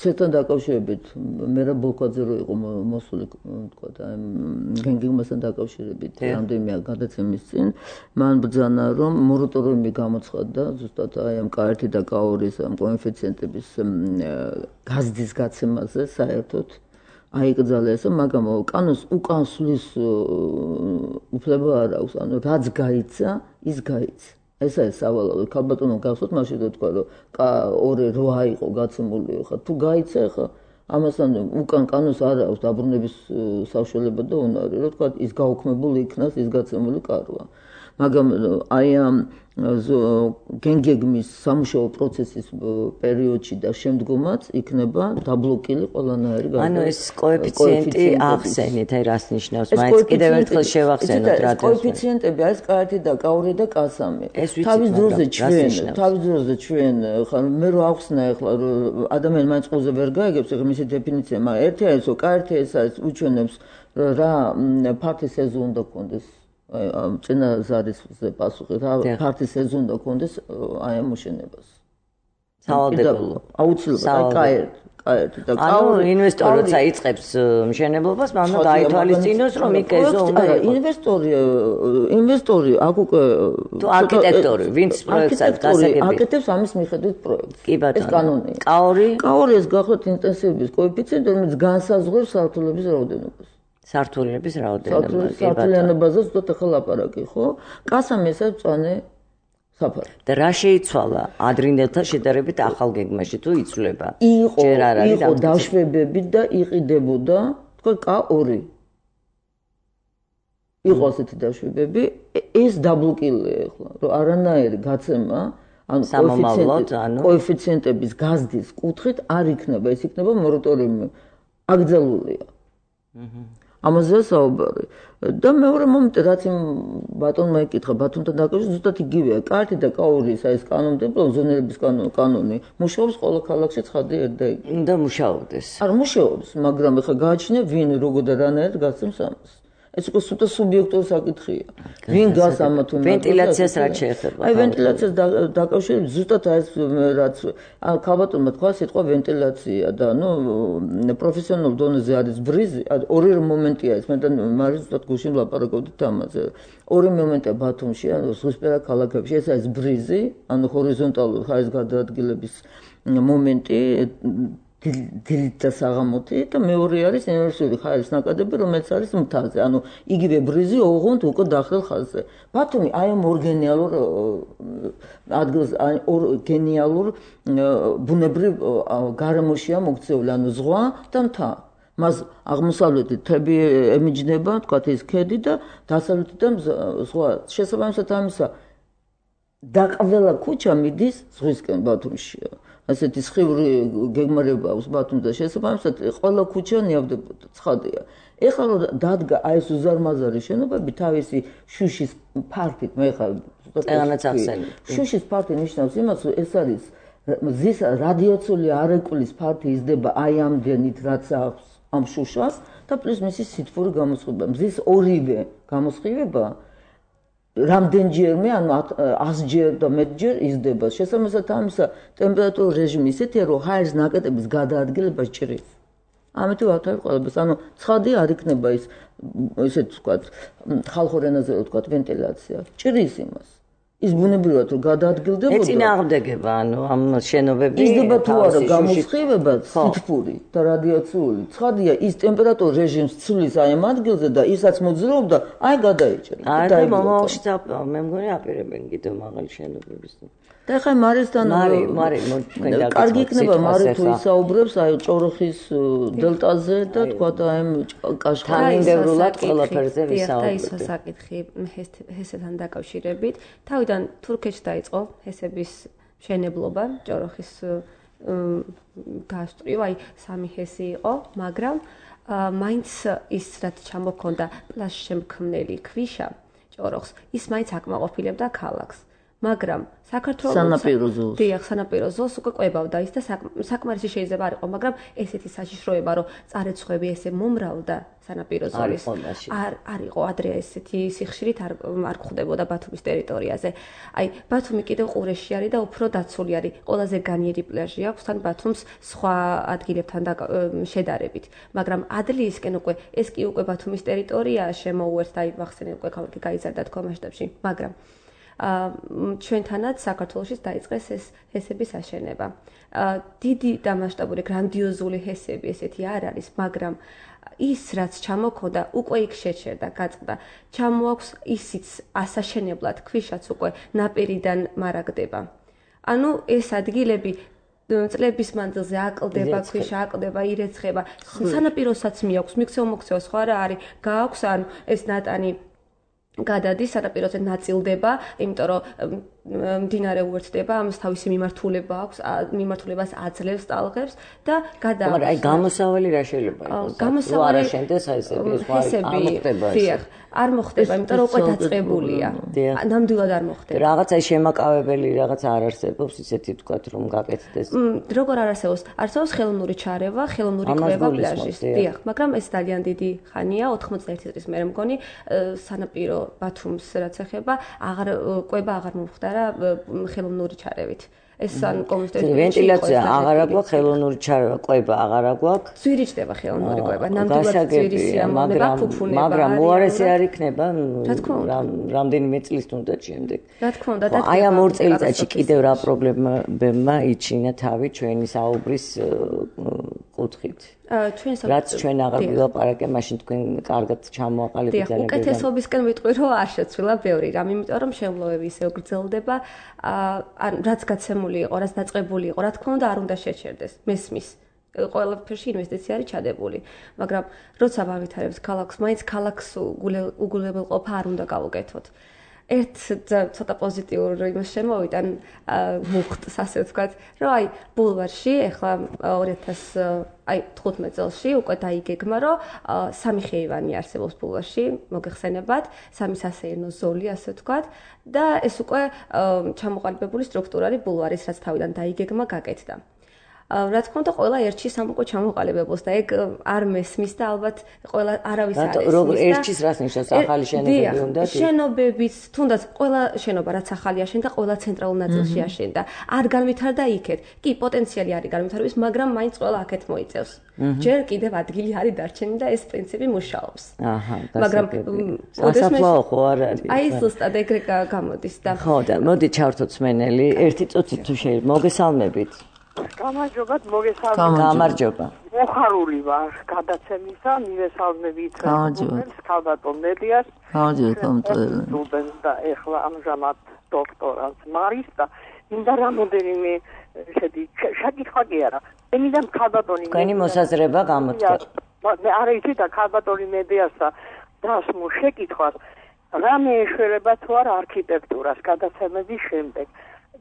ცეთან დაკავშირებით მე რა ბოლკაძე რო იყო მოსული თქვა და გენგიგმასთან დაკავშირებით რამდენიმე გადაცემის წინ მან ბრძანა რომ მორატორიუმი გამოცხადდა ზუსტად აი ამ კა ერთი და კა ორი ამ კოეფიციენტების გაზრდის გაცემაზე საერთოდ აიკრძალეს, მაგრამ კანონს უკან სulis უფლება არ აქვს, ანუ რაც გაიცა, ის გაიცა. ეს არის სავალალო. ქალბატონო გახსოვთ მაშინ და თქვა რომ კა ორი რვა იყო გაცემული ხა თუ გაიცა ხა ამასთან უკან კანონს არ აქვს დაბრუნების საშუალება და უნარი რომ თქვა ის გაუქმებული იქნას ის გაცემული კარვა. მაგრამ აი ამ გენგეგმის სამუშაო პროცესის პერიოდში და შემდგომაც იქნება დაბლოკილი ყველანაირი გარკვეული. ანუ ეს კოეფიციენტი ახსენეთ, აი რას ნიშნავს? მაინც კიდევ ერთხელ შევახსენოთ რა. კოეფიციენტები არის კა ერთი და კა ორი და კა სამი. თავის დროზე ჩვენ, თავის დროზე ჩვენ, ხა მე რო ახსნა ახლა რომ ადამიანი მაინც ყოზე ვერ გაიგებს, ახლა მისი დეფინიცია, მაგრამ ერთი არის რომ კა ერთი ეს არის უჩვენებს რა ფართი სეზონი უნდა გქონდეს. აი ამ წინა ზარისზე პასუხი რა ფართი სეზონი უნდა გქონდეს აი ამ მოშენებას. სავალდებულო. აუცილებლად აი კა ერთი და კაური ინვესტორი როცა იწყებს მშენებლობას, მან უნდა გაითვალისწინოს, რომ იქ ეზო უნდა იყოს. ინვესტორი ინვესტორი აქ უკვე თუ არქიტექტორი, ვინც პროექტს გასაგები. აკეთებს ამის მიხედვით პროექტს. კი ბატონო. ეს კანონია. კაური კაური ეს გახლავთ ინტენსივობის კოეფიციენტი, რომელიც განსაზღვრავს სართულების რაოდენობას. სართულების რაოდენობას. სართულიანობაზე ზუსტად ახლა ლაპარაკი, ხო? კასამ ესა წვანე საფარი. და რა შეიცვალა ადრინდელთან შედარებით ახალ გეგმაში თუ იცვლება? იყო, იყო დაშვებები და იყიდებოდა, თქვა კა ორი. იყო ასეთი დაშვებები, ეს დაბლოკილია ახლა, რომ არანაირი გაცემა, ანუ კოეფიციენტების გაზრდის კუთხით არ იქნება, ეს იქნება მორატორიუმი. აკრძალულია. აჰა. ამაზე საუბარი. და მეორე მომენტი, რაც იმ ბატონმა ეკითხა, ბათუმთან დაკავშირებით, ზუსტად იგივეა. კარტი და კაურის ეს კანონმდებლობა, ზონირების კანონი, მუშაობს ყველა ქალაქში ცხადი ერთ და იგი. უნდა მუშაობდეს. არ მუშაობს, მაგრამ ეხლა გააჩნია ვინ როგორ და რანაირად გასცემს ამას. ეს უკვე სუთა სუბიექტური საკითხია. ვინ გას ამათ უნდა ვენტილაციას რაც შეეხება. აი ვენტილაციას დაკავშირებით ზუსტად ეს რაც ქალბატონმა თქვა სიტყვა ვენტილაცია და ნუ პროფესიონალურ დონეზე არის ბრიზი, ორი მომენტია ეს, მე და მარის ზუსტად გუშინ ვლაპარაკობდით ამაზე. ორი მომენტია ბათუმში, ანუ ზღვისპირა ქალაქებში, ეს არის ბრიზი, ანუ ჰორიზონტალური ხარის გადაადგილების მომენტი დილით და საღამოთი და მეორე არის ინვერსიული ხარის ნაკადები, რომელიც არის მთაზე. ანუ იგივე ბრიზი ოღონდ უკვე დახრილ ხაზზე. ბათუმი აი ამ ორგენიალურ ადგილს, აი ორ გენიალურ ბუნებრივ გარემოშია მოქცეული, ანუ ზღვა და მთა. მას აღმოსავლეთით თები ემიჯნება, თქვათ ის ქედი და დასავლეთიდან ზღვა. შესაბამისად ამისა და ყველა ქუჩა მიდის ზღვისკენ ბათუმშია. ასეთი სხივური გეგმარება აქვს ბათუმზე შესაბამისად ყველა ქუჩა ნიავდებოდა ცხადია. ეხლა რომ დადგა აი ეს უზარმაზარი შენობები თავისი შუშის ფართით, მე ხა წეგანაც ახსენე. შუშის ფართი ნიშნავს იმას, რომ ეს არის მზის რადიაციული არეკულის ფართი იზრდება აი ამდენით, რაც აქვს ამ შუშას და პლუს მისი სითბური გამოსხივება. მზის ორივე გამოსხივება რამდენჯერმე, ანუ ასჯერ და მეტჯერ იზრდება. შესაბამისად ამისა ტემპერატურის რეჟიმი ისეთია, რომ ჰაერის ნაკადების გადაადგილება ჭრის. ამიტომ ვათავებ ყველას, ანუ ცხადი არ იქნება ის ისეთ ვთქვათ, ხალხურ ენაზე ვთქვათ, ვენტილაცია. ჭრის იმას. ის ბუნებრივად რომ გადაადგილდებოდა. ეწინააღმდეგება, ანუ ამ შენობები იზრდება თუ არა გამოსხივება, სითბური და რადიაციული. ცხადია, ის ტემპერატურის რეჟიმს ცვლის აი ამ ადგილზე და ისაც მოძრაობდა, აი გადაიჭრა. აი და მომავალში მე მგონი აპირებენ კიდევ მაღალი შენობების. და ხა მარისთან მარი მარი თქვენ და კარგი იქნება მარი თუ ისაუბრებს აი ჭოროხის დელტაზე და თქვა აი ამ კაშხალინდევრულად ყველაფერზე ვისაუბრებთ. და ის საკითხი ჰესესთან დაკავშირებით, თავიდან თურქეთში დაიწყო ჰესების მშენებლობა, ჭოროხის გასწრივა, აი სამი ჰესი იყო, მაგრამ მაინც ის რაც ჩამოქონდა პლაშშემქმნელი ქვიშა ჭოროხს, ის მაინც აკმაყოფილებდა ქალაქს. მაგრამ საქართველოს სანაპირო ზოლს. დიახ, სანაპირო ზოლს უკვე ყვებავდა ის და საკმარისი შეიძლება არ იყო, მაგრამ ესეთი საშიშროება, რომ წარეცხვები ესე მომრავლდა სანაპირო ზოლის. არ არ იყო ადრე ესეთი სიხშირით არ არ გვხვდებოდა ბათუმის ტერიტორიაზე. აი, ბათუმი კიდევ ყურეში არის და უფრო დაცული არის. ყველაზე განიერი პლაჟი აქვს თან ბათუმს სხვა ადგილებთან შედარებით. მაგრამ ადლიისკენ უკვე ეს კი უკვე ბათუმის ტერიტორიაა შემოუერთდა, აი, ვახსენე უკვე ქალაქი გაიზარდა თქვა მასშტაბში, მაგრამ ჩვენთანაც საქართველოში დაიწყეს ეს ჰესების აშენება. დიდი და მასშტაბური გრანდიოზული ჰესები ესეთი არ არის, მაგრამ ის რაც ჩამოქონდა, უკვე იქ შეჩერდა, გაწყდა. ჩამოაქვს ისიც ასაშენებლად, ქვიშაც უკვე ნაპირიდან მარაგდება. ანუ ეს ადგილები წლების მანძილზე აკლდება, ქვიშა აკლდება, ირეცხება. სანაპიროსაც მიაქვს, მიქცევა-მოქცევა სხვა რა არის, გააქვს ან ეს ნატანი გადადის სანაპიროზე ნაწილდება, იმიტომ რომ მდინარე უერთდება, ამას თავისი მიმართულება აქვს, მიმართულებას აძლევს ტალღებს და გადააქვს. მაგრამ აი გამოსავალი რა შეიძლება იყოს? გამოსავალი არა შენდეს აი ეს არ მოხდება ეს. არ მოხდება, იმიტომ რომ უკვე დაწყებულია. ნამდვილად არ მოხდება. რაღაცა შემაკავებელი რაღაც არ არსებობს, ისეთი ვთქვათ, რომ გაკეთდეს. როგორ არ არსებობს? არსებობს ხელოვნური ჩარევა, ხელოვნური კვება პლაჟის. დიახ, მაგრამ ეს ძალიან დიდი ხანია, ოთხმოცდაერთი წლის მერე მგონი სანაპირო ბათუმს რაც ეხება, აღარ კვება აღარ მომხდარა. არა ხელოვნური ჩარევით. ეს ან კომუნისტური ვენტილაცია აღარა გვაქვს, ხელოვნური ჩარევა, ყვება აღარა გვაქვს. ძვირიჭდება ხელოვნური ყვება, ნამდვილად ძვირი სიამოვნება, ფუფუნება. მაგრამ უარესი არ იქნება რამდენიმე წლის თუნდაც შემდეგ. რა თქმა უნდა, და აი ამ ორ წელიწადში კიდევ რა პრობლემებმა იჩინა თავი ჩვენი საუბრის კუთხით. რაც ჩვენ აღარ ვილაპარაკე, მაშინ თქვენ კარგად ჩამოაყალიბეთ ძალიან. უკეთესობისკენ ვიტყვი, რომ არ შეცვლილა ბევრი რამ, იმიტომ რომ შემლოები ისევ გრძელდება, ან რაც გაცემული იყო, რაც დაწყებული იყო, რა თქმა უნდა, არ უნდა შეჩერდეს. მესმის. ყველაფერში ინვესტიცია არის ჩადებული, მაგრამ როცა ვავითარებთ ქალაქს, მაინც ქალაქს უგულებელყოფა არ უნდა გავუკეთოთ. ერთ ცოტა პოზიტიურ იმას შემოვიდა მუხტს, ასე ვთქვათ, რომ აი ბულვარში ახლა ორი ათას თხუთმეტ წელს უკვე დაიგეგმა, რომ სამი ხეივანი არსებობს ბულვარში, მოგეხსენებათ, სამი სასეირნო ზოლი, ასე ვთქვათ, და ეს უკვე ჩამოყალიბებული სტრუქტურა არის ბულვარის, რაც თავიდან დაიგეგმა, გაკეთდა. რა თქმა უნდა, ყველა ერთში სამ უკვე ჩამოყალიბებულს და ეგ არ მესმის და ალბათ ყველა არავის არ ესმის. როგორ ერთშიც რას ნიშნავს ახალი შენობები უნდა? შენობებიც, თუნდაც ყველა შენობა რაც ახალი აშენდა, ყველა ცენტრალურ ნაწილში აშენდა. არ განვითარდა იქეთ. კი, პოტენციალი არის განვითარების, მაგრამ მაინც ყველა აქეთ მოიწევს. ჯერ კიდევ ადგილი არის დარჩენილი და ეს პრინციპი მუშაობს. აჰა, მაგრამ სასაფლაო ხო არ არის? აი ზუსტად ეგრე გამოდის და ხო და მოდი ჩავთოთ სმენელი, ერთი წუთი თუ შეიძლება მოგესალმებით. გამარჯობათ, მოგესალმებით. გამარჯობა. მოხარული ვარ გადაცემისა, მივესალმებით სტუდენტს, ქალბატონ მედიას. გამარჯობა, და ეხლა ამჟამად დოქტორანტ მარის და მინდა რამოდენიმე შედი შეკითხვა კი არა. მინდა ქალბატონი თქვენი მოსაზრება გამოთქვა. არა იცი და ქალბატონი მედიასა დასმო შეკითხვას რამე ეშველება თუ არა არქიტექტურას გადაცემების შემდეგ.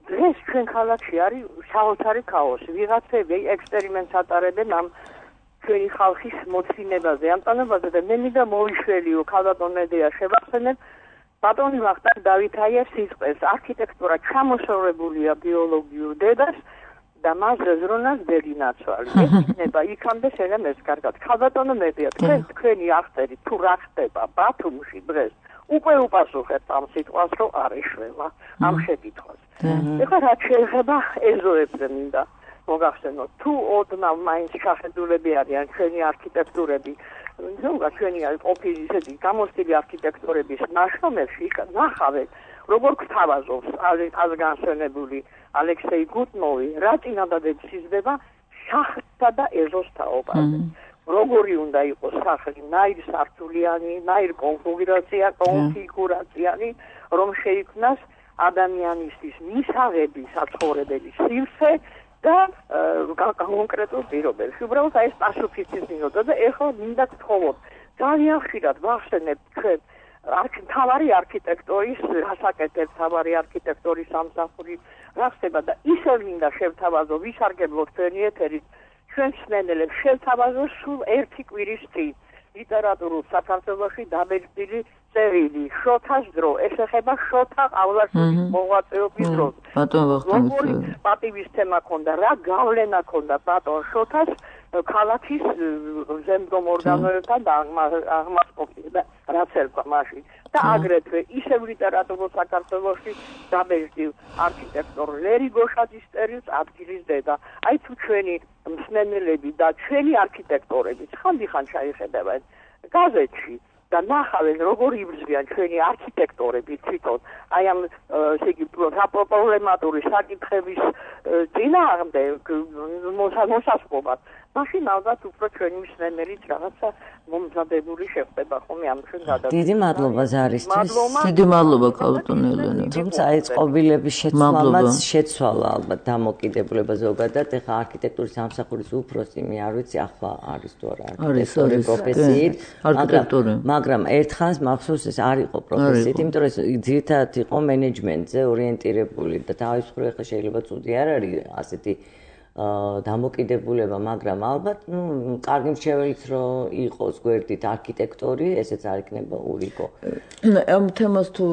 დღეს ჩვენ ქალაქში არის საოცარი ქაოსი. ვიღაცები ექსპერიმენტს ატარებენ ამ ჩვენი ხალხის მოცინებაზე, ამ ტანებაზე და მე მინდა მოვიშველიო ქალბატონ მედია შევახსენებ ბატონი ვახტანგ დავითაიევს სიტყვებს. არქიტექტურა ჩამოსწორებულია ბიოლოგიურ დედას და მას ზრუნავს ბედინაცვალი. ეს იქნება იქამდე შენემეს კარგად. ქალბატონო მედია, თქვენ თქვენი აღწერით თუ რა ხდება ბათუმში დღეს უკვე უპასუხებთ ამ სიტყვას, რომ არ ეშველა ამ შეკითხვას. ეხლა რაც შეიძლება ეზოებზე მინდა მოგახსენოთ, თუ ოდნავ მაინც შეხედულები არიან ჩვენი არქიტექტურები, ну, ჩვენი ყოფილი ისეთი გამოცდილი არქიტექტურების ნაშრომებში ნახავენ, როგორ გვთავაზობს ազგანშენებული ალექსეი გუტნოვი, რა წინადადებს იზრდება შახტსა და ეზოს თაობაზე. როგორი უნდა იყოს სახლი, ნაირ სართულიანი, ნაირ კონფიგურაცია, კონფიგურაციანი, რომ შეიქმნას ადამიანისთვის მისაღები საცხოვრებელი სივრცე და კონკრეტულ პირობებში. უბრალოდ აი ეს პასუხისის მინუტა და ეხლა მინდა გთხოვოთ, ძალიან ხშირად ვახსენებთ ჩვენ მთავარი არქიტექტორის, რასაკეთებს მთავარი არქიტექტორის სამსახური რა ხდება და ისევ მინდა შევთავაზო, ვისარგებლოთ ჩვენი ეთერით, ჩვენ მსმენელებს შევთავაზოთ სულ ერთი კვირის წინ ლიტერატურულ საქართველოში დაბეჭდილი წერილი შოთას დრო, ეს ეხება შოთა ყავლაშვილის მოღვაწეობის დროს. ბატონ ვახტანგი პატივისცემა ქონდა, რა გავლენა ქონდა ბატონ შოთას ქალაქის ზემდგომ ორგანოებთან და აღმასყოფის და რაც ერქვა მაშინ. და აგრეთვე ისევ ლიტერატურულ საქართველოში დაბეჭდილ არქიტექტორ ლერი გოშაძის წერილს ადგილის დედა. აი თუ ჩვენი მსმენელები და ჩვენი არქიტექტორები ხანდახან ჩაიხედავენ გაზეთში და ნახავენ როგორ იბრძვიან ჩვენი არქიტექტორები თვითონ აი ამ ესე იგი პრობლემატური საკითხების წინააღმდეგ მოსასწრობად მაშინ ალბათ უფრო ჩვენი მსმენელიც რაღაცა მომზადებული შეხვდება ხოლმე ამ ჩვენ გადაგ დიდი მადლობა ზარისთვის. დიდი მადლობა ქალბატონ ელენე. თუმცა აი წყობილების შეცვალაც შეცვალა ალბათ დამოკიდებულება ზოგადად ეხა არქიტექტურის სამსახურის უფროსი მე არ ვიცი ახლა არის თუ არა არქიტექტორი პროფესიით არქიტექტორი მაგრამ ერთხანს მახსოვს ეს არ იყო პროფესიით იმიტომ რომ ძირითადად იყო მენეჯმენტზე ორიენტირებული და თავის მხრივ ეხლა შეიძლება ცუდი არ არის ასეთი დამოკიდებულება, მაგრამ ალბათ, ნუ, კარგი მრჩეველიც რო იყოს გვერდით არქიტექტორი, ესეც არ იქნება ურიგო. ამ თემას თუ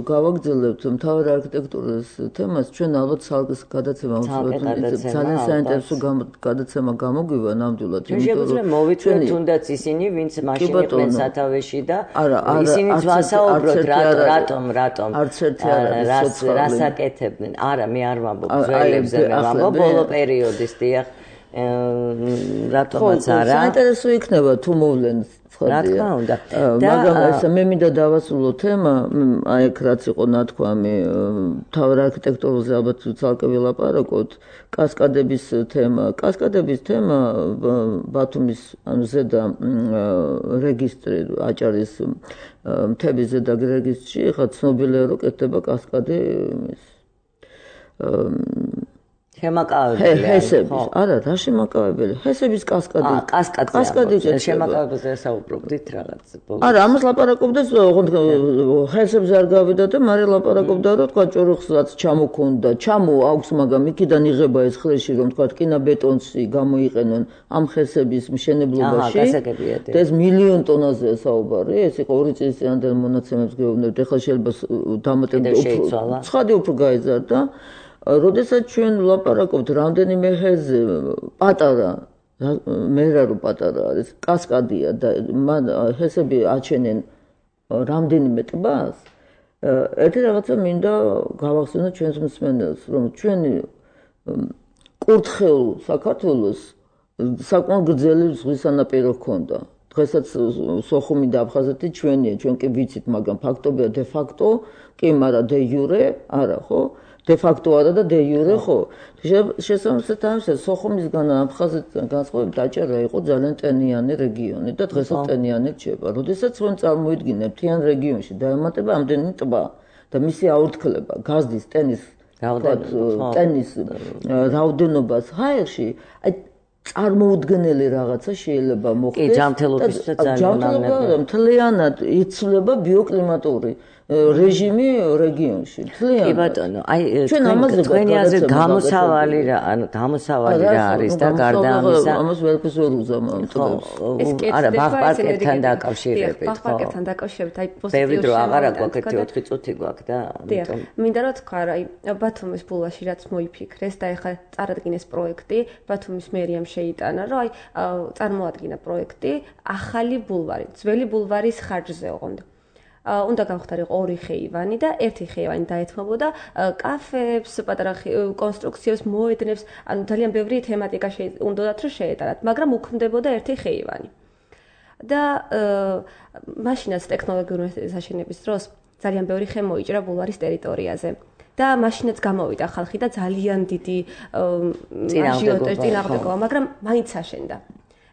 გავაგრძელებთ, მთავარი არქიტექტურის თემას, ჩვენ ალბათ ცალკე გადაცემა უწევთ, ძალიან საინტერესო გადაცემა გამოგვივა ნამდვილად, იმიტომ რომ მოვიწვევთ თუნდაც ისინი, ვინც მაშინ იყვნენ სათავეში და ისინიც ვასაუბროთ, რატომ, რატომ რას აკეთებდნენ. არა, მე არ ვამბობ ძველებზე, მე ვამბობ ბოლო პერიოდის დიახ რატომაც არა. საინტერესო იქნება თუ მოვლენ რა თქმა უნდა. მაგრამ ესე მე მინდა დავასრულო თემა, აი ეგ რაც იყო ნათქვამი, მთავარ არქიტექტურაზე ალბათ ცალკე ვილაპარაკოთ, კასკადების თემა. კასკადების თემა ბათუმის ანუ ზედა რეგისტრი აჭარის მთების ზედა რეგისტრში ხა ცნობილია რომ კეთდება კასკადი შემაკავებელი ჰესების არა რა შემაკავებელი ჰესების კასკადი კასკადი შემაკავებაზე საუბრობდით რაღაც არა ამას ლაპარაკობდეს ჰესებს არ გავიდა და მაგრამ ლაპარაკობდა რომ თქვა ჭოროხსაც ჩამოქონდა ჩამო აქვს მაგრამ იქიდან იღება ეს ხრეში რომ თქვა კინაბეტონში გამოიყენონ ამ ჰესების მშენებლობაში და ეს მილიონ ტონაზე საუბარი ეს იყო ორი წლის წინანდელ მონაცემებს გეუბნებთ ეხლა შეიძლება დამატებით უფრო ცხადი უფრო გაიზარდა როდესაც ჩვენ ვლაპარაკობთ რამდენიმე ჰეზე პატარა მე რა რო პატარა არის კასკადია და მან ჰესები აჩენენ რამდენიმე ტბას ერთი რაღაცა მინდა გავახსენოთ ჩვენს მსმენელს რომ ჩვენი კურთხეულ საქართველოს საკმაოდ გრძელი ზღვის სანაპირო ჰქონდა დღესაც სოხუმი და აფხაზეთი ჩვენია ჩვენ კი ვიცით მაგრამ ფაქტობია დე ფაქტო კი მაგრამ დე იურე არა ხო de facto არა და de jure ხო შესაბამისად ამის სოხუმისგან აფხაზეთიდან განსხვავებით დაჭერა იყო ძალიან ტენიანი რეგიონი და დღესაც ტენიანი რჩება. როდესაც ჩვენ წარმოიდგინებთ თიან რეგიონში დაემატება ამდენი ტბა და მისი აურთქლება გაზდის ტენის ტენის რაოდენობას ჰაერში აი წარმოუდგენელი რაღაცა შეიძლება მოხდეს. კი, ჯანმრთელობისთვის ძალიან მამნები. მთლიანად იცვლება ბიოკლიმატური რეჟიმი რეგიონში. კი ბატონო, აი თქვენი აზრით გამოსავალი რა, ანუ გამოსავალი რა არის და გარდა ამისა, ამას ვერაფერს ვერ უზამავ ტბებს. არა, ბაღ-პარკებთან დაკავშირებით, ხო? ბაღ-პარკებთან დაკავშირებით, აი პოზიტიური ბევრი დრო აღარ აქვს, ეკეთი ოთხი წუთი გვაქვს და ამიტომ. მინდა რომ თქვა, აი ბათუმის ბულვარში რაც მოიფიქრეს და ეხლა წარადგინეს პროექტი, ბათუმის მერიამ შეიტანა, რომ აი წარმოადგინა პროექტი ახალი ბულვარი, ძველი ბულვარის ხარჯზე ოღონდ. უნდა გავხდარიყო ორი ხეივანი და ერთი ხეივანი დაეთმობოდა კაფეებს, პატარა კონსტრუქციებს, მოედნებს, ანუ ძალიან ბევრი თემატიკა უნდათ რომ შეეტანათ, მაგრამ უქმდებოდა ერთი ხეივანი. და მაშინაც ტექნოლოგიური საშენების დროს ძალიან ბევრი ხე მოიჭრა ბულვარის ტერიტორიაზე. და მაშინაც გამოვიდა ხალხი და ძალიან დიდი აჟიოტაჟი წინააღმდეგობა, მაგრამ მაინც აშენდა.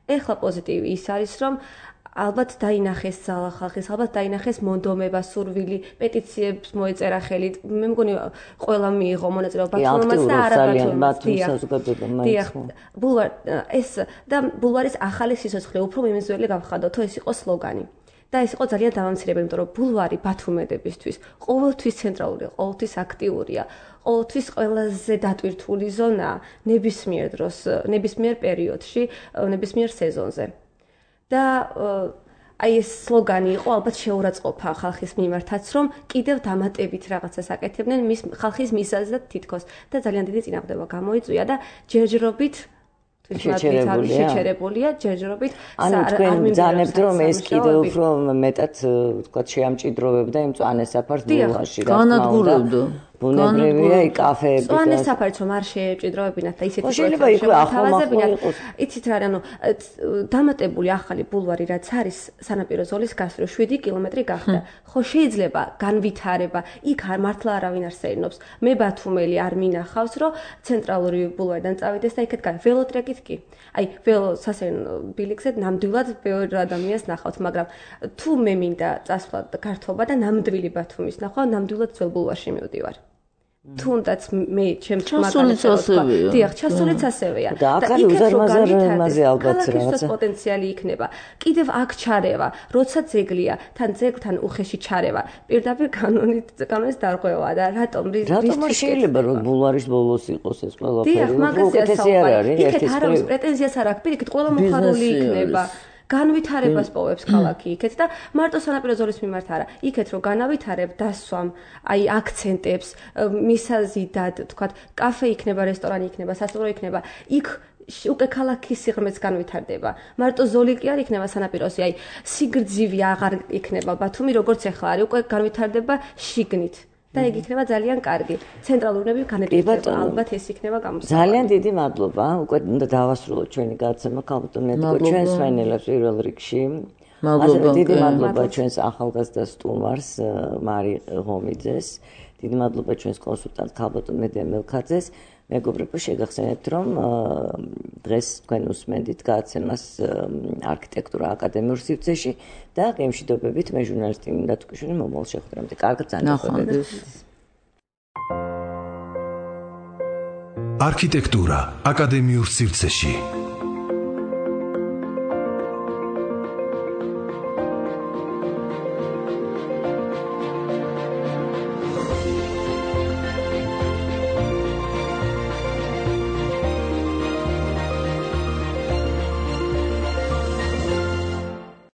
ეხლა პოზიტივი ის არის, რომ ალბათ დაინახეს ძალა ხალხის, ალბათ დაინახეს მონდომება, სურვილი, პეტიციებს მოეწერა ხელი. მე მგონი ყველა მიიღო მონაწილეობა ბათუმმაც და არაბათუმმაც. დიახ, ბულვარ ეს და ბულვარის ახალი სიცოცხლე უფრო მიმზველი გავხადოთო, ეს იყო სლოგანი. და ეს იყო ძალიან დამამცირებელი, იმიტომ რომ ბულვარი ბათუმედებისთვის ყოველთვის ცენტრალური, ყოველთვის აქტიურია, ყოველთვის ყველაზე დატვირთული ზონაა ნებისმიერ დროს, ნებისმიერ პერიოდში, ნებისმიერ სეზონზე. და აი ეს სლოგანი იყო ალბათ შეურაცხყოფა ხალხის მიმართაც, რომ კიდევ დამატებით რაღაცას აკეთებდნენ მის ხალხის მიზეზად თითქოს და ძალიან დიდი წინააღმდეგობა გამოიწვია და ჯერჯერობით შეჩერებულია ჯერჯერობით ანუ თქვენ ბრძანებთ რომ ეს კიდევ უფრო მეტად თქვა შეამჭიდროვებდა იმ მწვანე საფარს ბულვარში რა თქმა უნდა ბუნებრივია იქ კაფეები და მწვანე საფარს რომ არ შეეჭიდროვებინათ და ისეთი შეიძლება იქ ახალმახო იყოს იცით რა ანუ დამატებული ახალი ბულვარი რაც არის სანაპირო ზოლის გასწვრივ შვიდი კილომეტრი გახდა ხო შეიძლება განვითარება იქ არ მართლა არავინ არ სეირნობს მე ბათუმელი არ მინახავს რომ ცენტრალური ბულვარიდან წავიდეს და იქეთ გან ველოტრეკით კი აი ველო სასეირნო ბილიკზე ნამდვილად ბევრ ადამიანს ნახავთ მაგრამ თუ მე მინდა წასვლა გართობა და ნამდვილი ბათუმის ნახვა ნამდვილად ძველ ბულვარში მივდივარ თუნდაც მე ჩემს მაგალითს ასევეა. დიახ, ჩასულიც ასევეა. და აქ არის უზარმაზარ იმაზე ალბათ რაღაცა პოტენციალი იქნება. კიდევ აქ ჩარევა, როცა ძეგლია, თან ძეგლთან უხეში ჩარევა. პირდაპირ კანონით კანონის დარღვევა და რატომ რის რატომ შეიძლება რომ ბულვარის ბოლოს იყოს ეს ყველაფერი? დიახ, მაგაზია საუბარი. იქეთ არ აქვს პრეტენზიას არ აქვს, პირიქით ყველა მოხარული იქნება. განვითარებას პოვებს ქალაქი იქეთ და მარტო სანაპირო ზოლის მიმართ არა. იქეთ რომ განავითარებ დასვამ, აი აქცენტებს, მისაზიდად, თქვათ, კაფე იქნება, რესტორანი იქნება, სასტუმრო იქნება, იქ უკვე ქალაქის სიღრმეც განვითარდება. მარტო ზოლი კი არ იქნება სანაპიროზე, აი სიგრძივი აღარ იქნება ბათუმი, როგორც ახლა არის, უკვე განვითარდება შიგნით. და ეგ იქნება ძალიან კარგი. ცენტრალურები განეკუთვნება, ალბათ ეს იქნება გამოსავალი. ძალიან დიდი მადლობა. უკვე უნდა დავასრულოთ ჩვენი გადაცემა, ქალბატონ ნეტო, ჩვენს ვენელებს პირველ რიგში. მადლობა. დიდი მადლობა ჩვენს ახალგაზრდა სტუმარს მარი ღომიძეს. დიდი მადლობა ჩვენს კონსულტანტ ქალბატონ მედია მელქაძეს. მეგობრებო, შეგახსენებთ, რომ დღეს თქვენ უსმენდით გადაცემას არქიტექტურა აკადემიურ სივრცეში და გემშვიდობებით მე ჟურნალისტი მინდა თუკიშვილი მომავალ შეხვედრამდე. კარგად ნახვამდის. არქიტექტურა აკადემიურ სივრცეში.